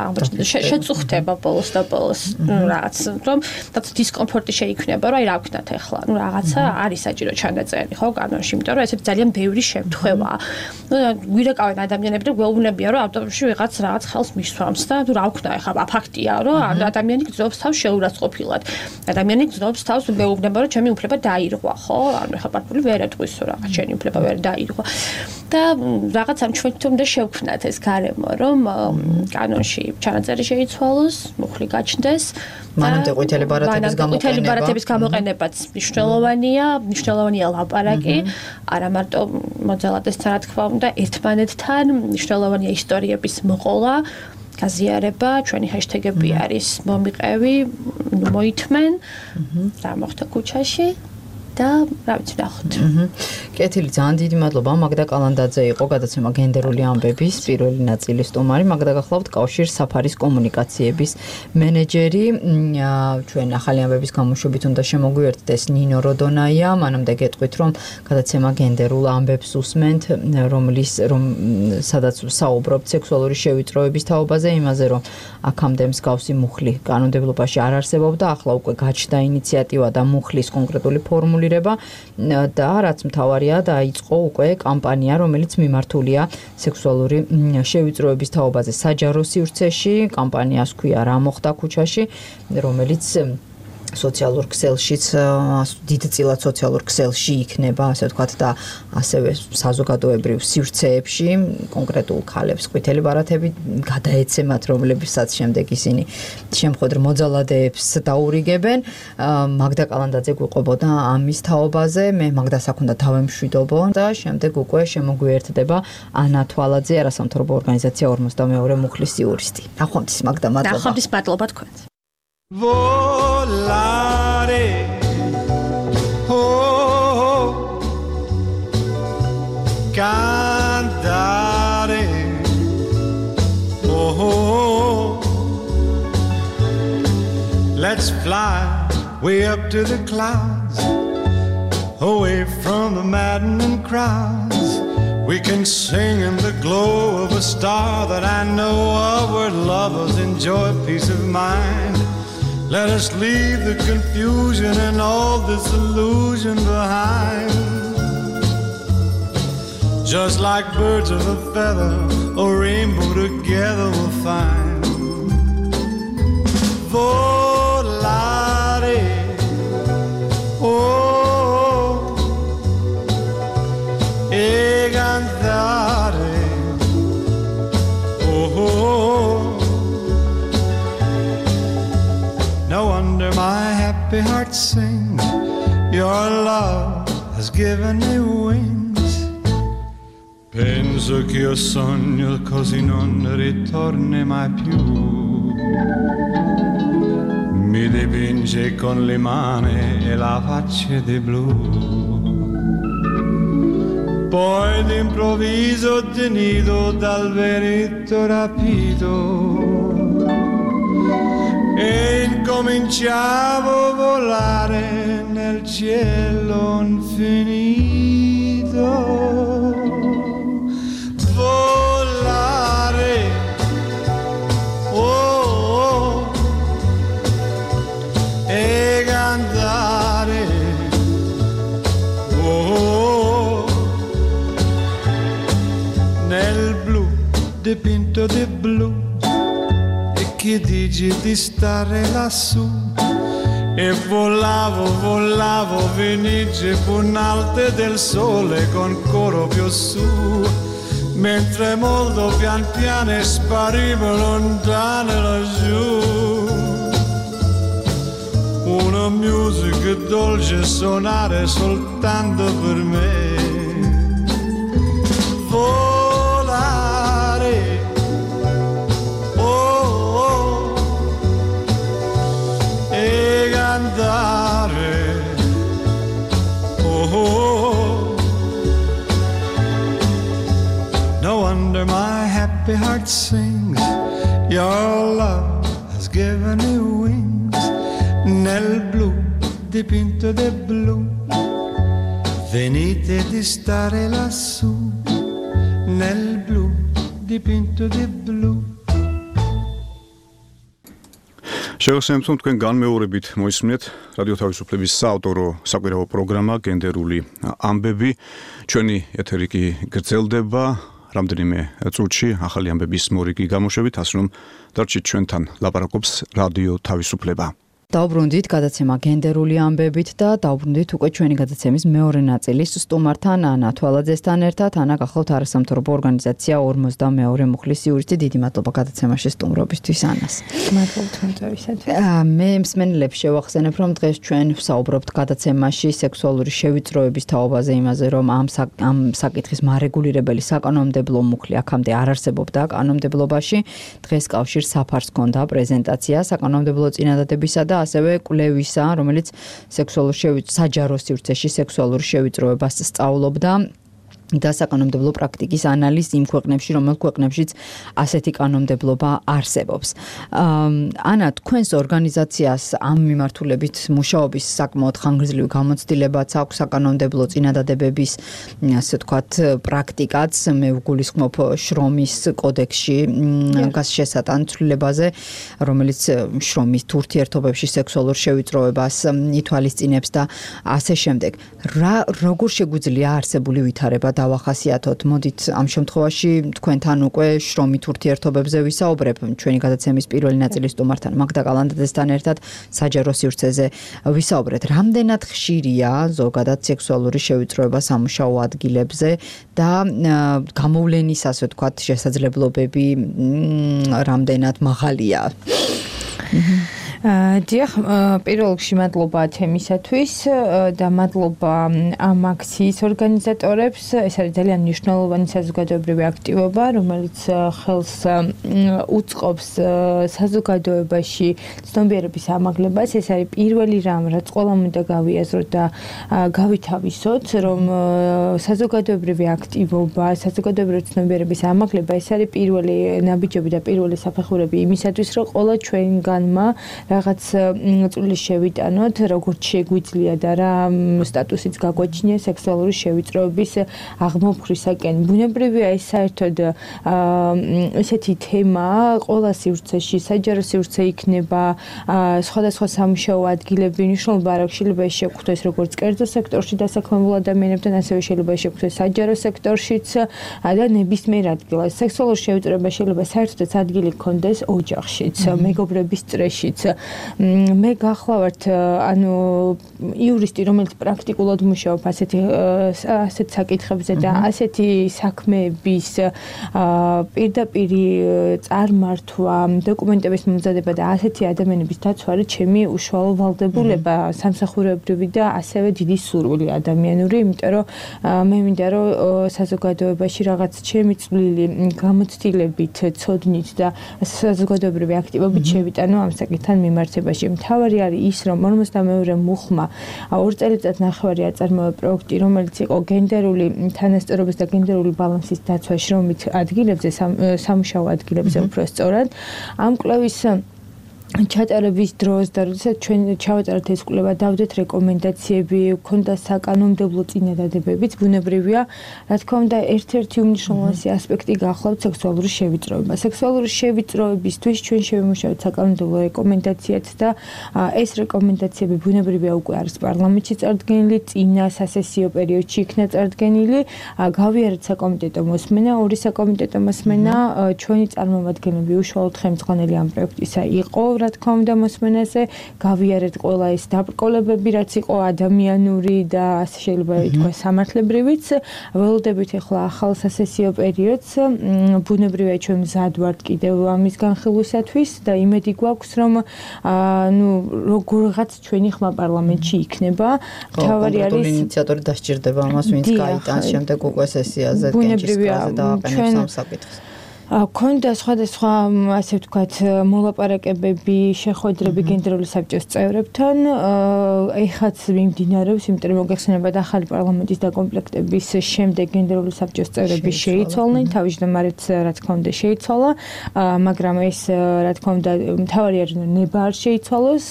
შეწუხდება ბოლოს და ბოლოს რაღაც, რომ რაც დისკომფორტი შეიქმნება, რომ აი რა ვქნათ ახლა, ნუ რაღაცა არის საჭირო ჩანაწერი, ხო, კანონში, იმიტომ რომ ესეთი ძალიან ბევრი შემთხვევაა. ნუ გვირეკავენ ადამიანები და გვეუბნებიან, რომ ავტობუსში ვიღაც რაღაც ხელს მისვამს და ნუ რა ვქნა ახლა ფაქტია, რომ ადამიანი გძნობს თავს შეურაცხყოფილად. ადამიანი გძნობს თავს, მეუბნება, რომ ჩემი უფლება დაირღვა, ხო? ანუ ახლა პატრული ვერ ეტყვის, რომ რაღაც ჩემი უფლება ვერ დაირღვა. და რაღაც ამ ჩვენ თუნდაც შევქმნათ ეს გარემო, რომ კანონში ჩანაწერი შეიცვალოს, მუხლი გაჩნდეს. მანამდე ყვითელი ბარათების გამოყენებაც მნიშვნელოვანია ლაპარაკი, არა მარტო მოძალადეს რა თქმა უნდა, ერთმანეთთან მნიშვნელოვანია ისტორიების მოყოლა. გაზიარება, ჩვენი ჰეშტეგები არის მომიყევი, მოითმენ, რა მოხდა ქუჩაში და რა ვიცი ნახოთ. კეთილი, ძალიან დიდი მადლობა. მაგდა კალანდაძე იყო გადაცემა გენდერული ამბების პირველი ნაწილის სტუმარი. მაგდა გახლავთ კავშირ საფარის კომუნიკაციების მენეჯერი. ჩვენ ახალი ამბების გამოშვებით უნდა შემოგვიერთდეს ნინო როდონაია. მანამდე გეტყვით, რომ გადაცემა გენდერულ ამბებს უსმენთ, სადაც საუბრობთ სექსუალური შევიწროების თაობაზე, იმაზე, რომ აქამდე მსგავსი მუხლი კანონმდებლობაში არ არსებობდა, ახლა უკვე გაჩნდა ინიციატივა და მუხლის კონკრეტული ფორმულირება და რაც მთავარია, დაიწყო უკვე კამპანია, რომელიც მიმართულია სექსუალური შევიწროების თაობაზე საჯარო სივრცეში. კამპანიას ქვია რა მოხდა ქუჩაში, რომელიც სოციალურ ქსელშიც დიდწილად სოციალურ ქსელში იქნება, ასე ვთქვათ და ასევე საზოგადოებრივ სივრცეებში კონკრეტულ ქალებს ყვითელი ბარათები გადაეცემათ, რომლებსაც შემდეგ ისინი შემხოდ მოძალადეებს დაურიგებენ. მაგდა კალანდაძე გვიყვებოდა ამის თაობაზე, მე მაგდას აქ უნდა დავემშვიდობო და შემდეგ უკვე შემოგვიერთდება ანა თვალაძე, არასამთავრობო ორგანიზაცია 42 მუხლის იურისტი. ნახვამდის მაგდა, მადლობა. ნახვამდის მადლობა თქვენს. Volare, oh, cantare, oh, let's fly way up to the clouds, away from the maddening crowds. We can sing in the glow of a star that I know of, where lovers enjoy peace of mind. Let us leave the confusion and all this illusion behind. Just like birds of a feather, a rainbow together we'll find. Volare, oh, e cantare, oh. No wonder my happy heart sings. Your love has given me wings. Penso che io sogno così non ritorni mai più. Mi dipinge con le mani e la faccia di blu. Poi d'improvviso tenido dal vento rapito. E incominciavo a volare nel cielo infinito. Volare, oh, oh, e cantare, oh, nel blu dipinto di blu. Che dici di stare lassù e volavo, volavo, venice punalte del sole con coro più su, mentre molto pian piano sparivo lontano laggiù. Una musica dolce suonare soltanto per me. Volare, cantare, oh, no wonder my happy heart sings. Your love has given me wings. Nel blu dipinto di blu, venite di stare lassù. Nel blu dipinto di blu. შევახსენებთ, რომ თქვენ განმეორებით მოისმინეთ რადიო თავისუფლების საავტორო საკვირაო პროგრამა გენდერული ამბები. ჩვენი ეთერი კი გრძელდება რამდენიმე წუთში ახალი ამბების მორიგი გამოშვებით, ასე რომ დარჩით ჩვენთან, ლაპარაკობს რადიო თავისუფლება. დავბრუნდით გადაცემა გენდერული ამბებით და დავბრუნდით უკვე ჩვენი გადაცემის მეორე ნაწილის სტუმართან ანა თვალაძესთან ერთად. ანა გახლავთ არასამთავრობო ორგანიზაცია 42 მუხლის იურისტი. დიდი მადლობა გადაცემაში სტუმრობისთვის ანას. მადლობა თქვენთვისათვის. მე მსმენელებს შევახსენებ, რომ დღეს ჩვენ ვსაუბრობთ გადაცემაში სექსუალური შევიწროების თაობაზე, იმაზე, რომ ამ საკითხის მარეგულირებელი საკანონმდებლო მუხლი აქამდე არ არსებობდა კანონმდებლობაში. დღეს კავშირს საფარს ჰქონდა პრეზენტაცია საკანონმდებლო წინადადებისა და ასევე კვლევისა, რომელიც საჯარო სივრცეში სექსუალურ შევიწროებას სწავლობდა და საკანონმდებლო პრაქტიკის ანალიზი იმ ქვეყნებში, რომელ ქვეყნებშიც ასეთი კანონმდებლობა არსებობს. ანა, თქვენს ორგანიზაციას ამ მიმართულებით მუშაობის საკმაოდ ხანგრძლივი გამოცდილებაც აქვს საკანონმდებლო წინადადებების, ასე ვთქვათ, პრაქტიკაც. მე ვგულისხმობ შრომის კოდექსში შესატან ცვლილებაზე, რომელიც შრომის ურთიერთობებში სექსუალურ შევიწროებას ითვალისწინებს და ასე შემდეგ. როგორ შეგვიძლია არსებული ვითარება დავახასიათოთ. მოდით ამ შემთხვევაში თქვენთან უკვე შრომით ურთიერთობებზე ვისაუბრებ. ჩვენი გადაცემის პირველი ნაწილის სტუმართან მაგდა კალანდაძესთან ერთად საჯარო სივრცეზე ვისაუბრეთ. რამდენად ხშირია ზოგადად სექსუალური შევიწროება სამუშაო ადგილებზე და გამოვლენის, ასე ვთქვათ, შესაძლებლობები რამდენად მაღალია? დიახ, პირველ რიგში მადლობა თემისათვის და მადლობა ამ აქციის ორგანიზატორებს. ეს არის ძალიან მნიშვნელოვანი საზოგადოებრივი აქტივობა, რომელიც ხელს უწყობს საზოგადოებაში ცნობიერების ამაღლებას. ეს არის პირველი რამ, რაც ყველამ უნდა გავიაზროთ და გავითავისოთ, რომ საზოგადოებრივი აქტივობა, საზოგადოებრივი ცნობიერების ამაღლება ეს არის პირველი ნაბიჯები და პირველი საფეხურები იმისათვის, რომ ყველა ჩვენგანმა რაღაც წვლილი შევიტანოთ, როგორც შეგვიძლია და რა სტატუსიც გაგვაჩნია სექსუალური შევიწროების აღმოფხვრისაკენ. ბუნებრივია ეს საერთოდ ესეთი თემა ყველა სივრცეში, საჯარო სივრცე იქნება, სხვადასხვა სამუშაო ადგილები, მნიშვნელობა არ აქვს, შეიძლება ეს შეგხვდეს როგორც კერძო სექტორში დასაქმებულ ადამიანებთან, ასევე შეიძლება შეგხვდეს საჯარო სექტორშიც და ნებისმიერ ადგილას. სექსუალური შევიწროება შეიძლება საერთოდაც ადგილი გქონდეს ოჯახშიც, მეგობრების წრეშიც. მე გახლავართ იურისტი, რომელიც პრაქტიკულად მუშაობს ასეთ საკითხებზე და ასეთი საქმეების პირდაპირი წარმართვა, დოკუმენტების მომზადება და ასეთი ადამიანების დაცვა არის ჩემი უშუალო ვალდებულება, სამსახურებრივი და ასევე დიდი სურვილი ადამიანური, იმიტომ რომ მე მინდა რომ საზოგადოებაში რაღაც ჩემი წვლილი გამოცდილებით, ცოდნით და საზოგადოებრივი აქტივობით შევიტანო ამ საკითხთან მიმართებაში. მთავარი არის ის, რომ 52-ე მუხმა 2 წელიწად-ნახევარი აწარმოა პროექტი, რომელიც იყო გენდერული თანასწორობის და გენდერული ბალანსის დაცვა შრომით ადგილებზე, სამუშაო ადგილებზე უფრო სწორად. ამ კვლევის ჩატარების დროს და როდესაც ჩვენ ჩავაწერეთ ეს კვლევა, დავდეთ რეკომენდაციები, ქონდა საკანონმდებლო წინადადებებიც, ბუნებრივია, რა თქმა უნდა, ერთ-ერთი უმნიშვნელოვანესი ასპექტი გახლავთ სექსუალური შევიწროება. სექსუალური შევიწროებისთვის ჩვენ შევიმუშავეთ საკანონმდებლო რეკომენდაციაც და ეს რეკომენდაციები ბუნებრივია უკვე არის პარლამენტში წარდგენილი, წინა სასესიო პერიოდში იქნა წარდგენილი, გავიარეთ საკომიტეტო მოსმენა, ორი საკომიტეტო მოსმენა, ჩვენი წარმომადგენლები უშუალოდ ხელმძღვანელი ამ პროექტისა იყო. რა თქმა უნდა მოსმენაზე გავიარეთ ყველა ეს დაბრკოლებები, რაც იყო ადამიანური და ასე შეიძლება ითქვას სამართლებრივიც. ველოდებით ახლა ახალ სასესიო პერიოდს, ბუნებრივია ჩვენ მზად ვართ კიდევ ამის განხილვისათვის და იმედი გვაქვს, რომ როგორღაც ჩვენი ხმა პარლამენტში იქნება. მთავარი არის ინიციატორი დასჭირდება ამას, ვინც გაიტანს შემდეგ უკვე სესიაზე კენჭისყრაზე და აყენებს ამ საკითხს. ქონდა სხვადასხვა, ასე ვთქვათ, მოლაპარაკებები, შეხვედრები გენდერული საბჭოს წევრებთან. ეხაც მიმდინარეობს, იმიტომ რომ მოგეხსენებათ ახალი პარლამენტის დაკომპლექტების შემდეგ გენდერული საბჭოს წევრები შეიცვალნენ, თავმჯდომარეც რა თქმა უნდა შეიცვალა, მაგრამ ეს რა თქმა უნდა მთავარი არის ნება არ შეიცვალოს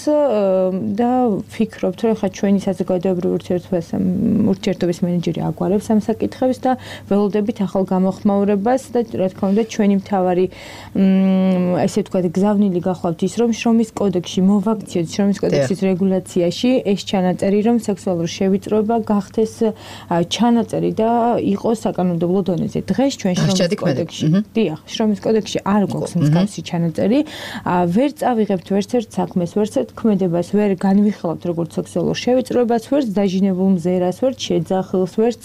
და ვფიქრობთ, რომ ხა ჩვენი საზოგადოებრივი ურთიერთობის მენეჯერი აგვარებს ამ საკითხებს და ველოდებით ახალ გამოხმაურებას და რა თქმა უნდა ჩვენი მთავარი ესე ვთქვათ გზავნილი გახლავთ ის, რომ შრომის კოდექსში მოვაქციოთ შრომის კოდექსის რეგულაციაში ეს ჩანაწერი, რომ სექსუალური შევიწროება გახდეს ჩანაწერი და იყოს საკანონმდებლო დონეზე. დღეს ჩვენ შრომის კოდექსში, დიახ, შრომის კოდექსში არ გვაქვს მსგავსი ჩანაწერი, ვერ წავიღებთ ვერცერთ საქმეს, ვერცერთ ქმედებას, ვერ განვიხილავთ როგორც სექსუალურ შევიწროებას, ვერც დაჟინებულ მზერას, ვერც შეძახილს, ვერც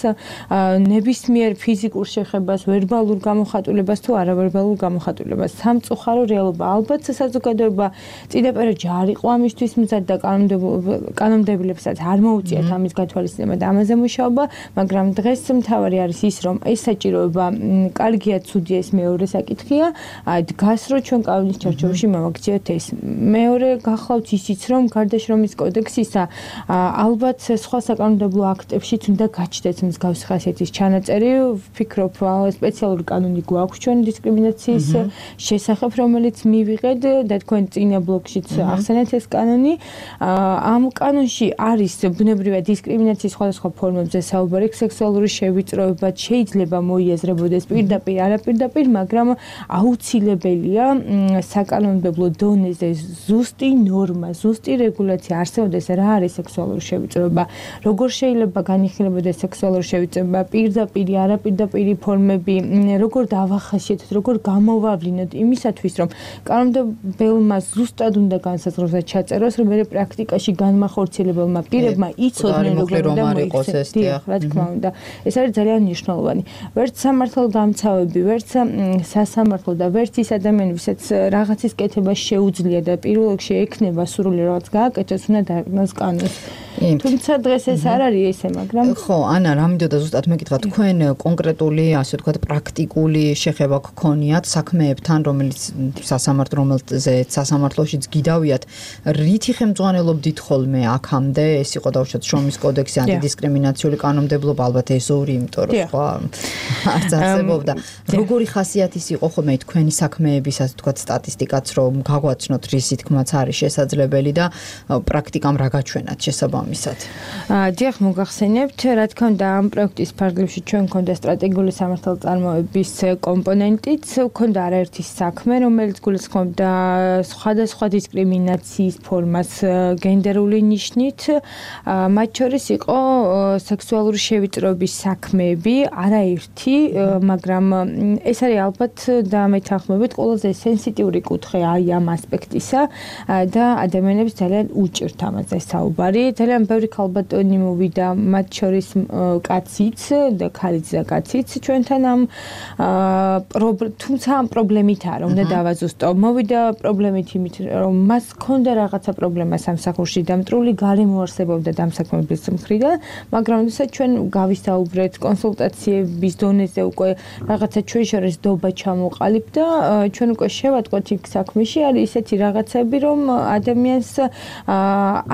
ნებისმიერ ფიზიკურ შეხებას, ვერბალურ გამოხატულებას თუ არავერბალურ გამოხატულებას. სამწუხარო რეალობა. ალბათ საზოგადოება წინაპირობებში არ იყო ამისთვის მზად და კანონმდებლებსაც არ მოუწიათ ამის გათვალისწინება და ამაზე მუშაობა, მაგრამ დღეს მთავარი არის ის, რომ ეს საჭიროება კარგია, ცუდია, ეს მეორე საკითხია. დგას, რომ ჩვენ კანონის ჩარჩოებში მოვაქციოთ ეს. მეორე გახლავთ ისიც, რომ გარდა შრომის კოდექსისა, ალბათ სხვა საკანონმდებლო აქტებშიც უნდა გაჩნდეს მსგავსი ხასიათის ჩანაწერი. ვფიქრობ, სპეციალური კანონი გვაქვს ჩვენი დისკრიმინაციის შესახებ, რომელიც მივიღეთ და თქვენ წინა ბლოგშიც ახსენეთ ეს კანონი. ამ კანონში არის ბუნებრივია დისკრიმინაციის სხვადასხვა ფორმებზე საუბარი, სექსუალური შევიწროება შეიძლება მოიაზრებოდეს პირდაპირ, არაპირდაპირ, მაგრამ აუცილებელია საკანონმდებლო დონეზე ზუსტი ნორმა, ზუსტი რეგულაცია არსებობდეს, რა არის სექსუალური შევიწროება, როგორ შეიძლება განიხილებოდეს სექსუალური შევიწროება, პირდაპირ, არაპირდაპირ ფორმები, როგორ დავახასიათოთ, როგორ გამოვავლინოთ იმისათვის, რომ კანონმდებელმა ზუსტად უნდა განსაზღვროს და ჩაწეროს, რომ მე პრაქტიკაში განმახორციელებელმა პირებმა იცოდნენ, როგორ უნდა მოიქცეს ეს რა თქმა უნდა. ეს არის ძალიან მნიშვნელოვანი. ვერც სამართალდამცავები, ვერც სასამართლო და ვერც ის ადამიანი, ვისაც რაღაცის კეთება შეუძლია და პირველ რიგში ექნება სრული რაღაც გააკეთოს, უნდა დააკნოს კანონს. თუმცა დღეს ეს არ არის ესე, მაგრამ ხო, ანა, რა მინდოდა ზუსტად მეკითხა, თქვენ კონკრეტული, ასე ვთქვათ, პრაქტიკული შეხება გქონიათ საქმეებთან, რომელიც სასამართლოშიც გიდავიათ, რითი ხელმძღვანელობდით ხოლმე აქამდე, ეს იყო დავუშვათ შრომის კოდექსი, ანტიდისკრიმინაციული კანონმდებლობა, ალბათ ეს ორი, იმიტომ რომ სხვა არც არსებობდა. როგორი ხასიათის იყო ხოლმე თქვენი საქმეების, ასე ვთქვათ, სტატისტიკაც, რომ გაგვაცნოთ რისი თქმაც არის შესაძლებელი და პრაქტიკამ რა გაჩვენათ შესაბამისად. დიახ, მოგახსენებთ, რა თქმა უნდა, ამ პროექტის ფარგლებში ჩვენ გვქონდა სტრატეგიული სამართალწარმოების კომპონენტიც, გვქონდა არაერთი საქმე, რომელიც გულისხმობდა სხვადასხვა დისკრიმინაციის ფორმას გენდერული ნიშნით, მათ შორის იყო სექსუალური შევიწროების საქმეები, არაერთი, მაგრამ ეს არის ალბათ და მეთანხმებით ყველაზე სენსიტიური კუთხე აი ამ ასპექტისა და ადამიანებს ძალიან უჭირთ ამაზე საუბარი. ძალიან ბევრი ქალბატონი მოვიდა, მათ შორის კაციც და ქალიც და კაციც ჩვენთან ამ თუმცა ამ პრობლემითაა, რომ უნდა დავაზუსტო. მოვიდა პრობლემით იმით, რომ მას ჰქონდა რაღაცა პრობლემა სამსახურში და მტრული გარემო არსებობდა დამსაქმებლის მხრიდან, მაგრამ როდესაც ჩვენ გავისაუბრეთ კონსულტაციების დონეზე უკვე რაღაცა ჩვენ შორის დობა ჩამოყალიბდა და ჩვენ უკვე შევატყოთ იქ საქმეში არის ისეთი რაღაცები, რომ ადამიანს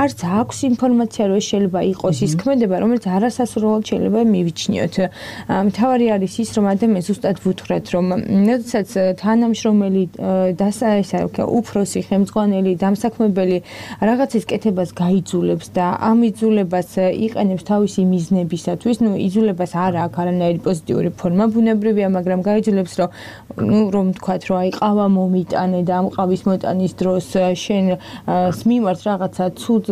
არც აქვს ინფორმაცია, რომ შეიძლება იყოს ის ქმედება, რომელიც არასასურველად შეიძლება მივიჩნიოთ. მთავარი არის ის, რომ ადამიანს ზუსტად ვუთხრათ, რომ როდესაც თანამშრომელი უფროსი, ხელმძღვანელი, დამსაქმებელი რაღაცის კეთებას გაიძულებს და ამ იძულებას იყენებს თავისი მიზნებისათვის, იძულებას არ აქვს არანაირი პოზიტიური ფორმა, ბუნებრივია, მაგრამ გაიძულებს, რომ თქვათ, რომ აი ყავა მომიტანე და ამ ყავის მოტანის დროს შენ მიმართ რაღაცა ცუდ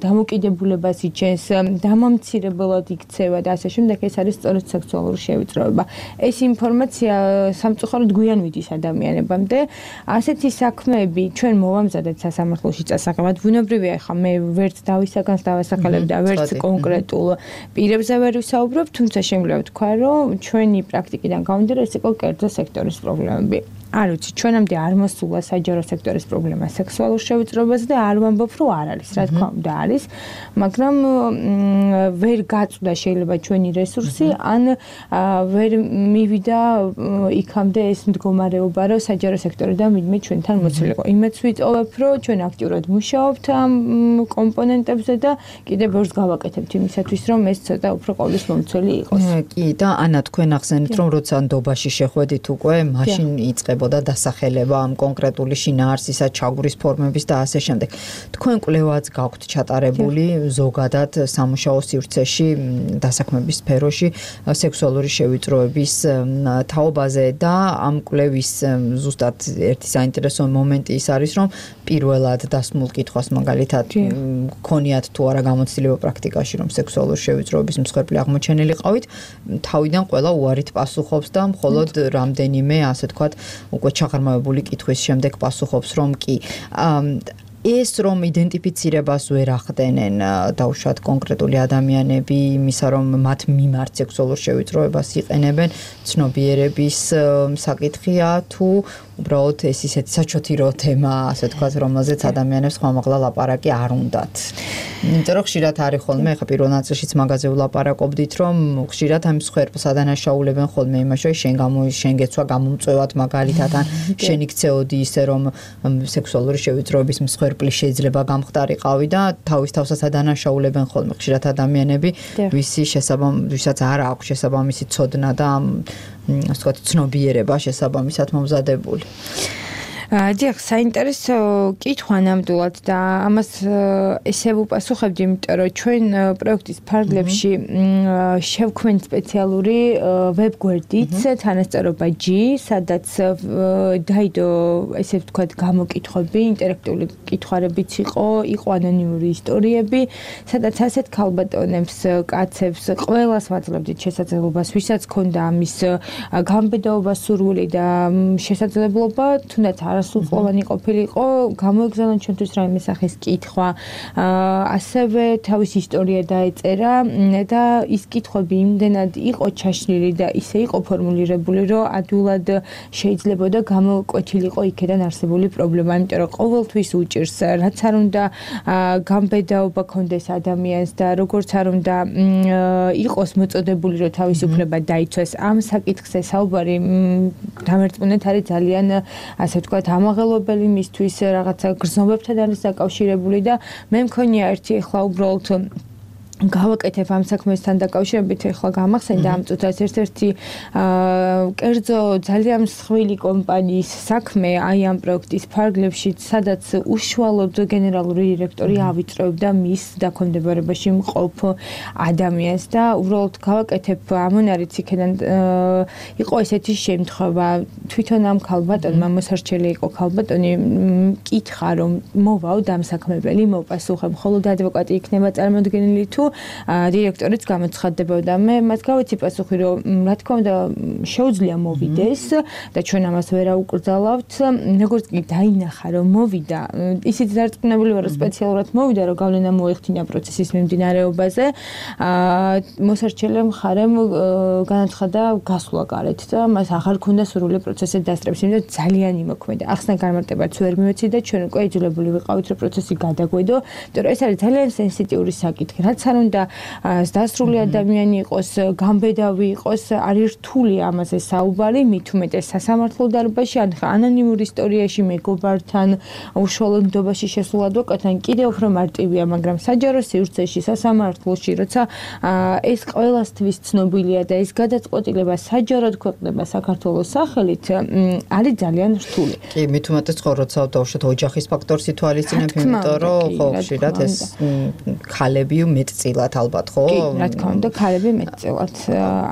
დამოკიდებულებას იჩენს, დამამცირებლად იქცევა და ასე შემდეგ, ეს არის სწორედ სექსუალური შევიწროება. ეს ინფორმაცია სამწუხაროდ გვიან მიდის ადამიანებამდე. ასეთი საქმეები ჩვენ მოვამზადეთ სასამართლოში წასაღებად. ბუნებრივია, ხა მე ვერც დავისაგანს დავასახელებ და ვერც კონკრეტულ პირებზე ვერ ვისაუბრებ, თუმცა შემიძლია ვთქვა, რომ ჩვენი პრაქტიკიდან გამომდინარე ეს იყო კერძო სექტორის პრობლემები. არ ვიცი, ჩვენამდე არ მოსულა საჯარო სექტორის პრობლემა სექსუალურ შევიწროებაზე და არ ვამბობ, რომ არ არის, რა თქმა უნდა არის, მაგრამ ვერ გაწვდა შეიძლება ჩვენი რესურსი, ან ვერ მივიდა იქამდე ეს მდგომარეობა, რომ საჯარო სექტორიდან ვინმე ჩვენთან მოცილიყო. იმეც ვიწოვებ, რომ ჩვენ აქტიურად მუშაობთ ამ კომპონენტებზე და კიდევ ბევრს გავაკეთებთ იმისათვის, რომ ეს ცოტა უფრო ყოვლის მომცველი იყოს. კი, და ანა, თქვენ ახსენეთ, რომ როცა ნდობაში შეხვედით უკვე, მაშინ იწყებოდა დასახელება ამ კონკრეტული შინაარსისა, ჩაგვრის ფორმების და ასე შემდეგ. თქვენ კვლევაც გაქვთ ჩატარებული ზოგადად სამუშაო სივრცეში, დასაქმების სფეროში, სექსუალური შევიწროების თაობაზე და ამ კვლევის ზუსტად ერთი საინტერესო მომენტი ის არის, რომ პირველად დასმულ კითხვას მაგალითად გქონიათ თუ არა გამოცდილება პრაქტიკაში, რომ სექსუალური შევიწროების მსხვერპლი აღმოჩენილი ყავით, თავიდან ყველა უარით პასუხობს და მხოლოდ რამდენიმე, ასე ვთქვათ, უკვე ჩაღრმავებული კითხვის შემდეგ პასუხობს, რომ კი ეს რომ იდენტიფიცირებას ვერ ახდენენ დავუშვათ კონკრეტული ადამიანები იმისა რომ მათ მიმართ სექსუალურ შევიწროებას იყენებენ ცნობიერების საკითხია თუ უბრალოდ ეს ისეთი საჩოთირო თემა ასე თქვა რომელზეც ადამიანებს ხმამაღლა ლაპარაკი არ უნდათ. იმიტომ რომ ხშირად არის ხოლმე ხა პირველ ნაწილშიც მაგაზე ვლაპარაკობდით რომ ხშირად ამ მსხვერპლს ადანაშაულებენ ხოლმე იმაში შენ გეცვა გამომწვევად მაგალითად ან შენ იქცეოდი ისე რომ სექსუალური შევიწროების მსხვერპლი შეიძლება გამხდარიყავი და თავის თავსაც ადანაშაულებენ ხოლმე ხშირად ადამიანები ვისაც არ აქვს შესაბამისი ცოდნა და ასე ვთქვათ, ცნობიერება შესაბამისად მომზადებული. დიახ, საინტერესო კითხვა ნამდვილად და ამას ესე ვუპასუხებდი, იმიტომ რომ ჩვენ პროექტის ფარგლებში შევქმნით სპეციალური ვებგვერდით თანასწორობა G, სადაც დაიდო, ესე ვთქვათ, გამოკითხვები, ინტერაქტიული კითხვარებიც იყო ანონიმური ისტორიები, სადაც ასეთ ქალბატონებს, კაცებს ყველას ვაძლევდით შესაძლებლობას, ვისაც ჰქონდა ამის გამბედაობა სურვილი და შესაძლებლობა, თუნდაც არასრულწლოვანი ყოფილიყო, გამოეგზავნა ჩვენთვის რაიმე სახის კითხვა, ასევე თავის ისტორია დაეწერა და ის კითხვები იმდენად იყო ჩაშლილი და ისე იყო ფორმულირებული, რომ ადვილად შეიძლებოდა გამოკვეთილიყო იქიდან არსებული პრობლემა, იმიტომ რომ ყოველთვის უჭირს, რაც არ უნდა გამბედაობა კონდეს ადამიანს და როგორც არ უნდა იყოს მოწოდებული, რომ თავისუფლება დაიცვეს. ამ საკითხზე საუბარი დამერწმუნეთ არის ძალიან, ასე ვთქვათ, ამაღელვებელი მისთვის რაღაცა გრძნობებთან არის დაკავშირებული და მე მქონია ერთი ახლა უბრალოდ გავაკეთებ ამ საქმესთან დაკავშირებით ახლა გამახსენდა ამ წუთას ერთ-ერთი კერძო ძალიან მსხვილი კომპანიის საქმე აი ამ პროექტის ფარგლებში, სადაც უშუალოდ გენერალური დირექტორი ავიწროებდა მის დაქვემდებარებაში მყოფ ადამიანს და უბრალოდ გავაკეთებ ამონარიც იქიდან იყო ესეთი შემთხვევა, თვითონ ამ ქალბატონმა მოსარჩელი იყო ქალბატონი, მკითხა რომ მოვაო დამსაქმებელი, მოვპასუხებ, ხოლო ადვოკატი იქნება წარმოდგენილი თუ დირექტორიც გამოცხადდებოდა. მე მას გავიცი პასუხი, რომ რა თქმა უნდა შეუძლია მოვიდეს და ჩვენ ამას ვერ აუკრძალავთ. როგორც კი დაინახა, რომ მოვიდა, ისიც დარწმუნებული ვარ, რომ სპეციალურად მოვიდა, რომ გავლენა მოეხდინა პროცესის მიმდინარეობაზე. მოსარჩელი მხარემ განაცხადა გასვლა გარეთ და მას აღარ ქონდა სურვილი პროცესზე დასწრებს, იმიტომ რომ ძალიან იმოქმედა. ახსნა განმარტებაც ვერ მივეცი და ჩვენ უკვე იძულებული ვიყავით, რომ პროცესი გადაგვედო, იმიტომ რომ ეს არის ძალიან სენსიტიური საკითხი. რაც არ უნდა დასრული ადამიანი იყოს, გამბედავი იყოს, არის რთული ამაზე საუბარი, მით უმეტეს სასამართლო დარბაზში, ან ანონიმურ ისტორიაში მეგობართან, უშუალო ნდობაში შესულ ადვოკატთან კიდევ უფრო მარტივია, მაგრამ საჯარო სივრცეში, სასამართლოში, როცა ეს ყველასთვის ცნობილია და ეს გადაწყვეტილება საჯაროდ ქვეყნდება საქართველოს სახელით, არის ძალიან რთული. კი, მით უმეტეს ხო, როცა დავუშვათ ოჯახის ფაქტორს ითვალისწინებ, იმიტომ რომ ხო, ხშირად ეს ქალები მეტწილად ალბათ ხო? კი, რა თქმა უნდა, ქალები მეტწილად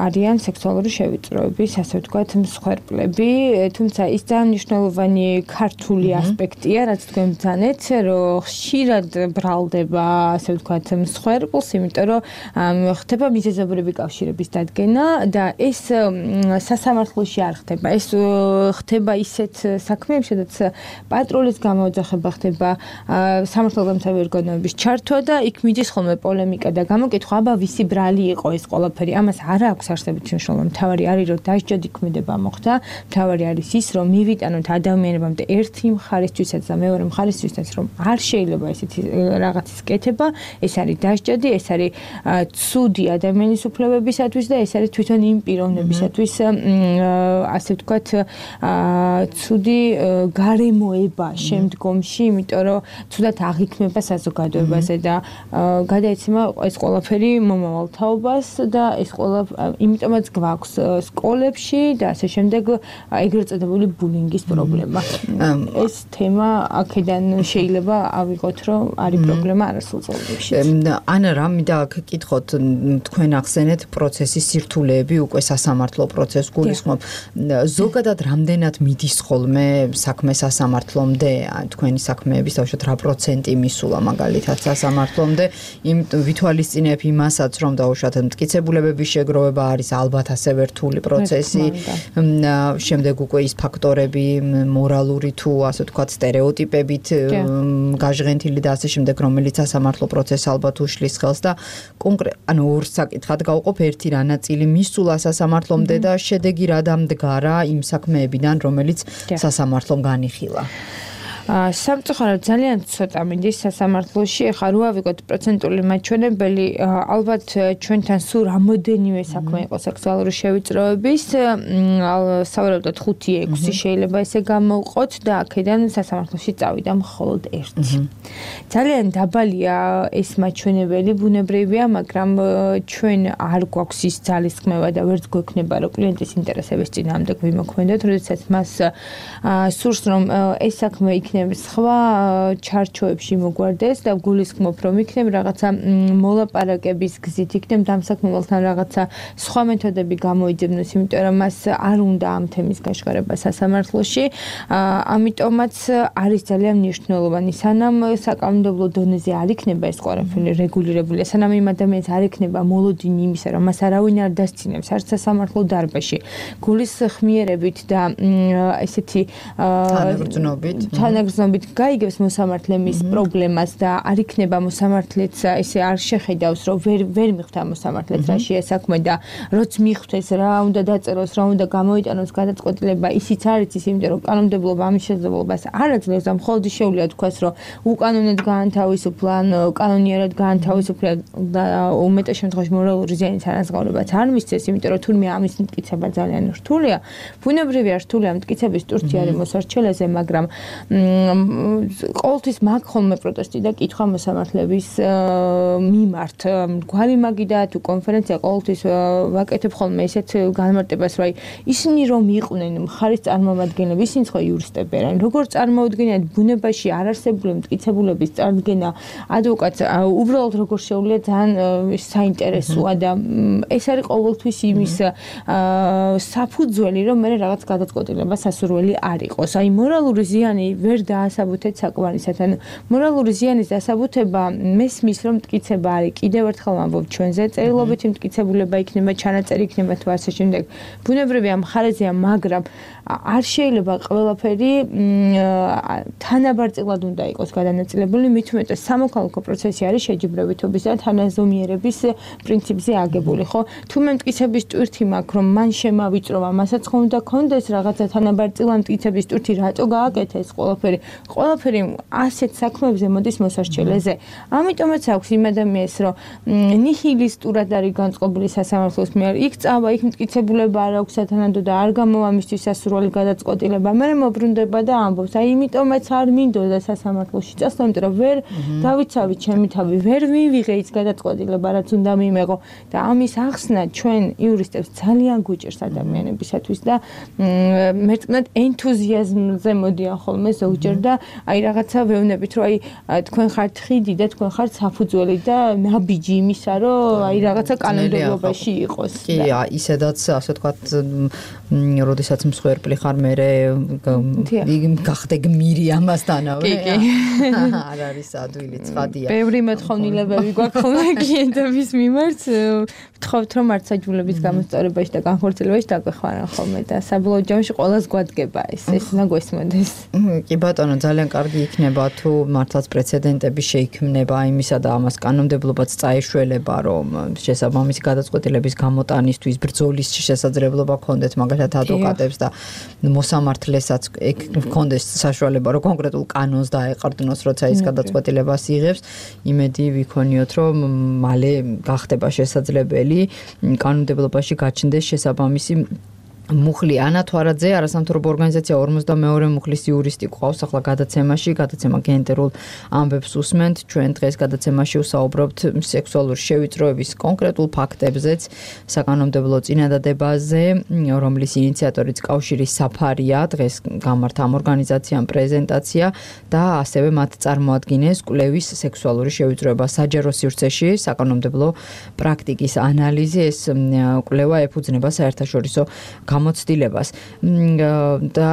არიან სექსუალური შევიწროების, ასე ვთქვათ, მსხვერპლები, თუმცა ის ძალიან მნიშვნელოვანი ქართული ასპექტია, რაც თქვენ ბრძანეთ, რომ ხშირად ბრალდება, ასე ვთქვათ, მსხვერპლს, იმიტომ რომ ხდება მიზეზობრივი კავშირების დადგენა და ეს სასამართლოში არ ხდება. ეს ხდება ისეთ საქმეებში, სადაც პატრულის გამოძახება ხდება, სამართალდამცავი ორგანოების ჩართვა და იქ მიდის ხოლმე პოლემიკა და გამოკითხვა, აბა ვისი ბრალი იყო ეს ყველაფერი. ამას არ აქვს არსებითი მნიშვნელობა. მთავარი არის, რომ დასჯადი ქმედება მოხდა. მთავარი არის ის, რომ მივიტანოთ ადამიანებამდე ერთი მხარისთვისაც და მეორე მხარისთვისაც, რომ არ შეიძლება ესეთი რაღაცის კეთება. ეს არის დასჯადი, ეს არის ცუდი ადამიანის უფლებებისათვის და ეს არის თვითონ იმ პიროვნებისათვის, ასე ვთქვათ, ცუდი გარემოება შემდგომში, იმიტომ რომ ცუდად აღიქმება საზოგადოებაზე და გადაეცემა ეს ყველაფერი მომავალ თაობას და ეს იმიტომაც გვაქვს სკოლებში და ასე შემდეგ ეგრეთ წოდებული ბულინგის პრობლემა. ეს თემა აქედან შეიძლება ავიღოთ, რომ არის პრობლემა არასრულწლოვანებში. ანა, რა მინდა გკითხოთ, თქვენ ახსენეთ პროცესის სირთულეები, უკვე სასამართლო პროცესს გულისხმობ. ზოგადად რამდენად მიდის ხოლმე საქმე სასამართლომდე, თქვენი საქმეების თავშოთ რა პროცენტი მისულა მაგალითად სასამართლომდე? ვითვალისწინებ იმასაც, რომ დაუშვათ მტკიცებულებების შეგროვება არის ალბათ ასევე რთული პროცესი, შემდეგ უკვე ის ფაქტორები, მორალური თუ ასე ვთქვათ სტერეოტიპებით გაჟღენთილი და ასე შემდეგ, რომელიც სასამართლო პროცესს ალბათ უშლის ხელს და ანუ ორ საკითხად გავყოფ, ერთი რა ნაწილი მისულა სასამართლომდე და შედეგი რა დამდგარა იმ საქმეებიდან, რომელიც სასამართლომ განიხილა. სამწუხაროდ ძალიან ცოტა მიდის სასამართლოში. ეხლა რო ავიღოთ პროცენტული მაჩვენებელი, ალბათ ჩვენთან სულ რამოდენიმე საქმე იყო სექსუალური შევიწროების, სავარაუდოდ 5-6 შეიძლება ესე გამოვყოთ და აქედან სასამართლოში წავიდა მხოლოდ 1. ძალიან დაბალია ეს მაჩვენებელი, ბუნებრივია, მაგრამ ჩვენ არ გვაქვს ის ძალისხმევა და ვერც გვექნება რომ კლიენტის ინტერესების წინააღმდეგ ვიმოქმედოთ, როდესაც მას სურს რომ ეს საქმე იქნებ სხვა ჩარჩოებში მოგვარდეს და გულისხმობ რომ იქნებ რაღაცა მოლაპარაკების გზით იქნებ დამსაქმებელთან რაღაცა სხვა მეთოდები გამოიძებნოს, იმიტომ რომ მას არ უნდა ამ თემის გაშკარება სასამართლოში. ამიტომაც არის ძალიან მნიშვნელოვანი, სანამ საკანონმდებლო დონეზე არ იქნება ეს ყველაფერი რეგულირებული, სანამ იმ ადამიანს არ იქნება მოლოდინი იმისა, რომ მას არავინ არ დასცინებს არც სასამართლო დარბაზში, გულის ხმიერებით და ესეთი თანაგრძნობით გაიგებს მოსამართლე მის პრობლემას და არ იქნება მოსამართლეც ესე არ შეხედავს, რომ ვერ მიხვდა მოსამართლეც რაშია საქმე და როც მიხვდეს რა უნდა დაწეროს, რა უნდა გამოიტანოს გადაწყვეტილება, ისიც არ იცის, იმიტომ რომ კანონმდებლობა ამის შესაძლებლობას არ აძლევს და მხოლოდ შეუძლია თქვას, რომ უკანონოდ გაანთავისუფლა, კანონიერად გაანთავისუფლა და უმეტეს შემთხვევაში მორალური ზიანის ანაზღაურებაც არ მისცეს, იმიტომ რომ თურმე ამის მტკიცება ძალიან რთულია. ბუნებრივია რთულია მტკიცების ტურთი არის მოსარჩელეზე, მაგრამ ყოველთვის მაქვს ხოლმე პროტესტი და კითხვა მოსამართლეების მიმართ. გვარი მაგიდა თუ კონფერენცია ყოველთვის ვაკეთებ ხოლმე ესეთ განმარტებას, რომ ისინი რომ იყვნენ მხარის წარმომადგენლები, ისინი ხო იურისტები არიან. როგორ წარმოუდგენიათ ბუნებაში არარსებული მტკიცებულების წარდგენა ადვოკატს, უბრალოდ როგორ შეუძლია ძალიან საინტერესოა და ეს არის ყოველთვის იმის საფუძველი, რომ მე რაღაც გადაწყვეტილება სასურველი არ იყოს. აი მორალური ზიანი ვერ დაასაბუთეთ საკმარისად. ანუ მორალური ზიანის დასაბუთება მესმის რომ მტკიცება არის. კიდევ ერთხელ ვამბობ ჩვენზე წერილობითი მტკიცებულება იქნება, ჩანაწერი იქნება თუ ასე შემდეგ. ბუნებრივია მხარეზეა, მაგრამ არ შეიძლება ყველაფერი თანაბარწილად უნდა იყოს გადანაწილებული, მით უმეტეს სამოქალაქო პროცესი არის შეჯიბრებითობის და თანაზომიერების პრინციპზე აგებული, ხო? თუ მე მტკიცების ტვირთი მაქვს, რომ მან შემავიწროვა, მასაც ხო უნდა კონდეს რაღაცა თანაბარწილად მტკიცების ტვირთი, რატო გააკეთა ეს ყველაფერი? ყველაფერი ასეთ საქმეებზე მოდის მოსარჩელეზე. ამიტომაც აქვს იმ ადამიანს, რომ ნიჰილისტურად არის განწყობილი სასამართლოს მიერ, იქ წავა, იქ მტკიცებულება არ აქვს სათანადო და არ გამოვა მისთვის სასურველი გადაწყვეტილება. მე მოbrunდება და ამბობს, აი იმიტომაც არ მინდოდა სასამართლოში წასვლა, იმიტომ რომ ვერ დავიცავი ჩემი თავი, ვერ მივიღე ის გადაწყვეტილება, რაც უნდა მიმეღო და ამის ახსნა ჩვენ იურისტებს ძალიან გვიჭერს ადამიანებისათვის და მერწმუნად ენთუზიაზმზე მოდიან ხოლმე ზოგჯერ და აი რაღაცა ვეუბნებით, რომ აი თქვენ ხართ ხიდი და თქვენ ხართ საფუძველი და ნაბიჯი იმისა, რომ აი რაღაცა კანონმდებლობაში იყოს. კი, ისედაც ასე ვთქვათ, როდესაც მსხვერპლი ხარ, მე გახდე გმირი ამასთანავე. კი. არ არის ადვილი ცხადია. ბევრი მოთხოვნილებები გვაქვს ხოლმე კლიენტების მიმართ, ვთხოვთ რომ მართლმსაჯულების გამოსწორებაში და განხორციელებაში დაგვეხმარან ხოლმე და საბოლოო ჯამში ყველას გვადგება ეს უნდა გვესმოდეს. კი ბატონო, ძალიან კარგი იქნება თუ მართლაც პრეცედენტები შეიქმნება იმისა და ამას კანონმდებლობაც წაეშველება, რომ შესაბამისი გადაწყვეტილების გამოტანისთვის ბრძოლის შესაძლებლობა ქონდეთ მაგალითად ადვოკატებს და მოსამართლესაც ქონდეს საშუალება, რომ კონკრეტულ კანონს დაეყრდნოს, როცა ის გადაწყვეტილებას იღებს. იმედი ვიქონიოთ, რომ მალე გახდება შესაძლებელი კანონმდებლობაში გაჩნდეს შესაბამისი მუხლი. ანა თვარაძე, არასამთავრობო ორგანიზაცია 42 მუხლის იურისტი ყავს ახლა გადაცემა გენდერულ ამბებს უსმენთ. ჩვენ დღეს გადაცემაში ვსაუბრობთ სექსუალური შევიწროების კონკრეტულ ფაქტებზეც, საკანონმდებლო წინადადებაზე, რომლის ინიციატორიც კავშირის საფარია. დღეს გამართა ამ ორგანიზაციამ პრეზენტაცია და ასევე მათ წარმოადგინეს კვლევის სექსუალური შევიწროება საჯარო სივრცეში საკანონმდებლო პრაქტიკის ანალიზი. ეს კვლევა ეფუძნება საერთაშორისო გამოცდილებას და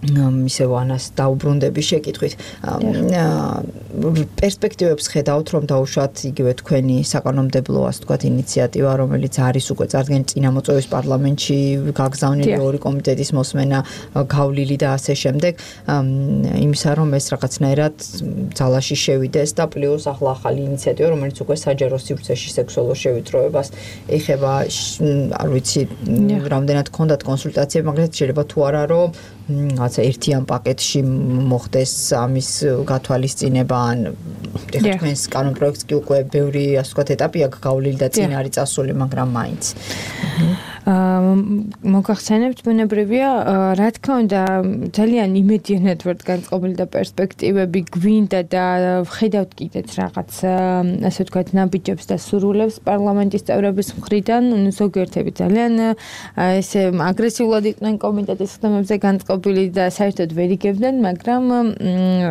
ისევ ანას დაუბრუნდების შეკითხვით პერსპექტივებს ხედავთ, რომ დაუშვათ იგივე თქვენი საკანონმდებლო ასე ვთქვათ ინიციატივა, რომელიც არის უკვე წარდგენილი წინამოწვევის პარლამენტში, გაგზავნილი ორი კომიტეტის მოსმენა, გავლილი და ასე შემდეგ, იმისა რომ ეს რაღაცნაირად ძალაში შევიდეს და პლუს ახლა ახალი ინიციატივა, რომელიც უკვე საჯარო სივრცეში სექსუალურ შევიწროებას ეხება, არ ვიცი, რამდენად გქონდათ კონსულტაციები, მაგრამ შეიძლება თუ არა რომ რაღაცა ერთიან პაკეტში მოხდეს ამის გათვალისწინება ან ეხლა თქვენს კანონპროექტს კი უკვე ბევრი ასე ვთქვათ ეტაპი აქვს გავლილი და წინ არის წასული, მაგრამ მაინც მოგახსენებთ ბუნებრივია რა თქმა უნდა ძალიან იმედიანად ვარ განწყობილი და პერსპექტივები გვინდა და ვხედავთ კიდეც რაღაც ასე ვთქვათ ნაბიჯებს და სურვილებს პარლამენტის წევრების მხრიდან ზოგიერთები ძალიან ესე აგრესიულად იყვნენ კომიტეტის ხდომებზე განწყობილი და საერთოდ ვერ იგებდნენ მაგრამ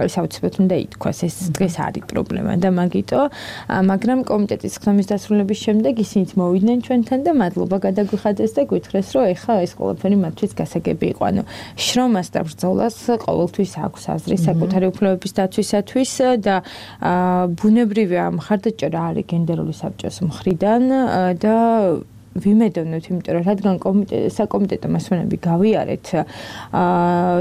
საუცილებლად უნდა ითქვას ეს დღეს არის პრობლემა და მაგრამ კომიტეტის ხდომის დასრულების შემდეგ ისინიც მოვიდნენ ჩვენთან და მადლობა გადაგვიხადეს და გითხრეს რომ ეხლა ეს ყველაფერი მათთვის გასაგები იყო. ანუ შრომას და ბრძოლას ყოველთვის აქვს აზრი საკუთარი უფლებების დაცვისათვის და ბუნებრივია მხარდაჭერა არის გენდერული საბჭოს მხრიდან და ვიმედოვნებთ, იმიტომ რომ რადგან საკომიტეტო მასვენები გავიარეთ,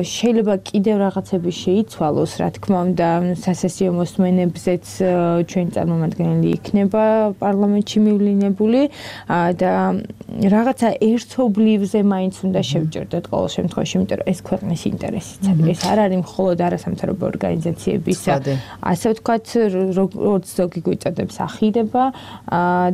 შეიძლება კიდევ რაღაცები შეიცვალოს, რა თქმა უნდა, სასესიო მოსმენებზეც ჩვენი წარმომადგენელი იქნება პარლამენტში მივლინებული და რაღაცა ერთობლივზე მაინც უნდა შევჭერდეთ ყოველ შემთხვევაში, იმიტომ რომ ეს ქვეყნის ინტერესიც არის. ეს არ არის მხოლოდ არასამთავრობო ორგანიზაციების, ასე ვთქვათ, როგორც ზოგი გვიწოდებს ახირება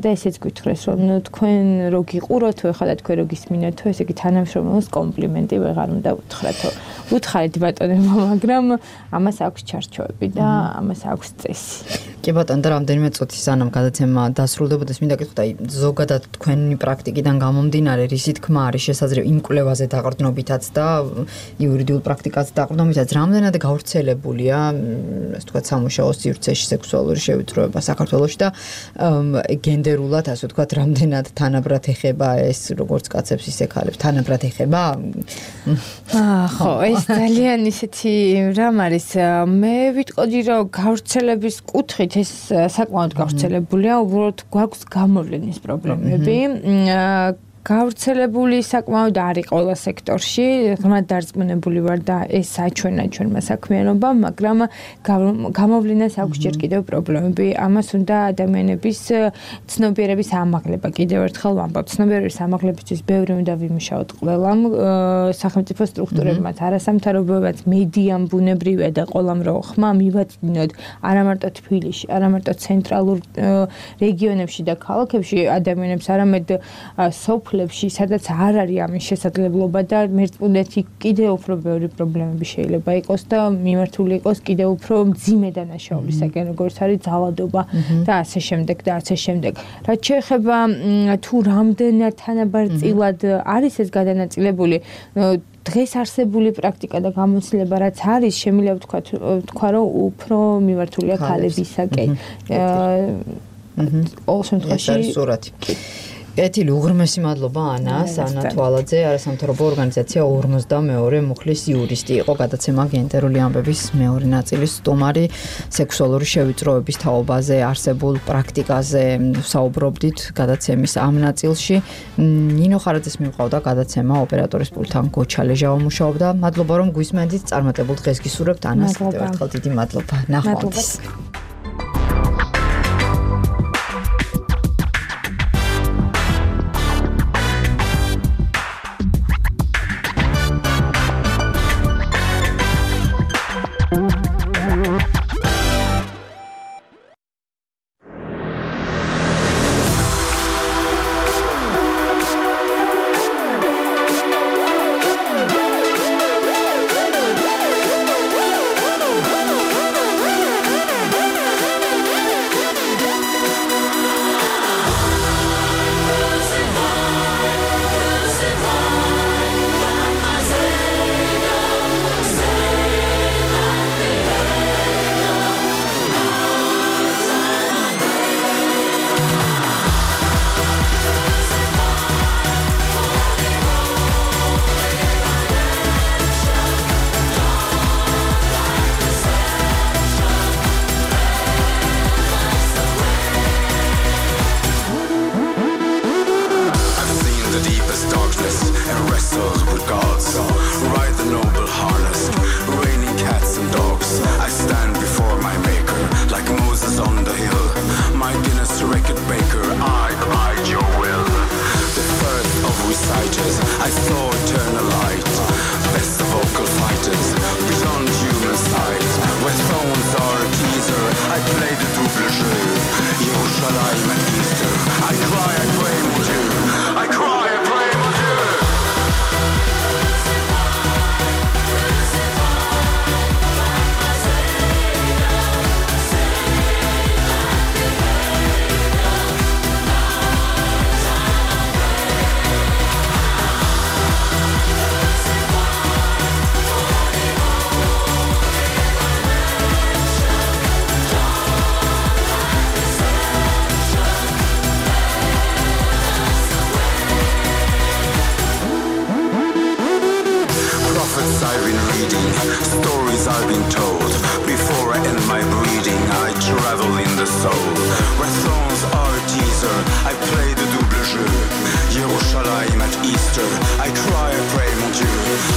და ესეც გითხრეს, რომ თქვენ რო გიყუროთ ეხლა და თქვენ რო გისმინოთ, ესე იგი თანამშრომლობის კომპლიმენტი ვეღარ უნდა უთხრათო. უთხარით ბატონებო, მაგრამ ამას აქვს ჩარჩოები და ამას აქვს წესი. კი ბატონო, და რამდენიმე წუთი სანამ გადაცემა დასრულდებოდეს, მინდა გითხრათ, აი ზოგადად თქვენი პრაქტიკიდან გამომდინარე, რისი თქმა არის შესაძლებელი იმ კვლევაზე დაყრდნობითაც და იურიდიულ პრაქტიკაზე დაყრდნობითაც, რამდენად გავრცელებულია, ასე ვთქვათ, სამუშაო სივრცეში სექსუალური შევიწროება საქართველოში და გენდერულად, ასე ვთქვათ, რამდენად თანაბრად ეხება ეს როგორც კაცებს ისე ქალებს, თანაბრად ეხება? ხო, ეს ძალიან ისეთი რამ არის. მე ვიტყოდი, რომ გავრცელების კუთხით ეს საკმაოდ გავრცელებულია, უბრალოდ გვაქვს გამოვლენის პრობლემები. გავრცელებული საკმაოდ არის ყველა სექტორში, ღრმად დარწმუნებული ვარ და ეს საჩვენა ჩვენმა საქმიანობამ, მაგრამ გამოვლენას აქვს ჯერ კიდევ პრობლემები. ამას უნდა ადამიანების ცნობიერების ამაღლება. კიდევ ერთხელ ვამბობ, ცნობიერების ამაღლებისთვის ბევრი უნდა ვიმუშაოთ ყველამ, სახელმწიფო სტრუქტურებმაც, არასამთავრობოებაც, მედიამ ბუნებრივია და ყველამ რო ხმა მივაწმინოთ არა მარტო თბილისში, არა მარტო ცენტრალურ რეგიონებში და ქალაქებში ადამიანებს, არამედ სოფლებში, სადაც არ არის ამის შესაძლებლობა და მერწმუნეთი კიდევ უფრო ბევრი პრობლემები შეიძლება იყოს და მიმართული იყოს კიდევ უფრო მძიმე დანაშაულებისაკენ, როგორც არის ძალადობა და ასე შემდეგ და ასე შემდეგ. რაც შეეხება თუ რამდენად თანაბარწილად არის ეს გადანაწილებული, დღეს არსებული პრაქტიკა და გამოცდილება რაც არის, შემიძლია ვთქვა, რომ უფრო მიმართულია ქალებისაკენ. ყოველ შემთხვევაში ეთილი უღრმესი მადლობა ანას, ანა თვალაძე, არასამთავრობო ორგანიზაცია 42 მუხლის იურისტი იყო, გადაცემა გენდერული ამბების მეორე ნაწილის სტუმარი, სექსუალური შევიწროების თაობაზე არსებულ პრაქტიკაზე საუბრობდით გადაცემის ამ ნაწილში. ნინო ხარაძეს მივყავდა გადაცემა, ოპერატორის პულტთან გოჩა ლეჟავა მუშაობდა. მადლობა რომ გვისმენთ, წარმატებულ დღეს გისურვებთ ანას, კიდევ ერთხელ დიდი მადლობა. ნახვამდის. Words I've been reading, stories I've been told. Before I end my breathing, I travel in the soul. Where thrones are a teaser, I play the double jeu. Yerushalayim at Easter, I cry, I pray, mon Dieu.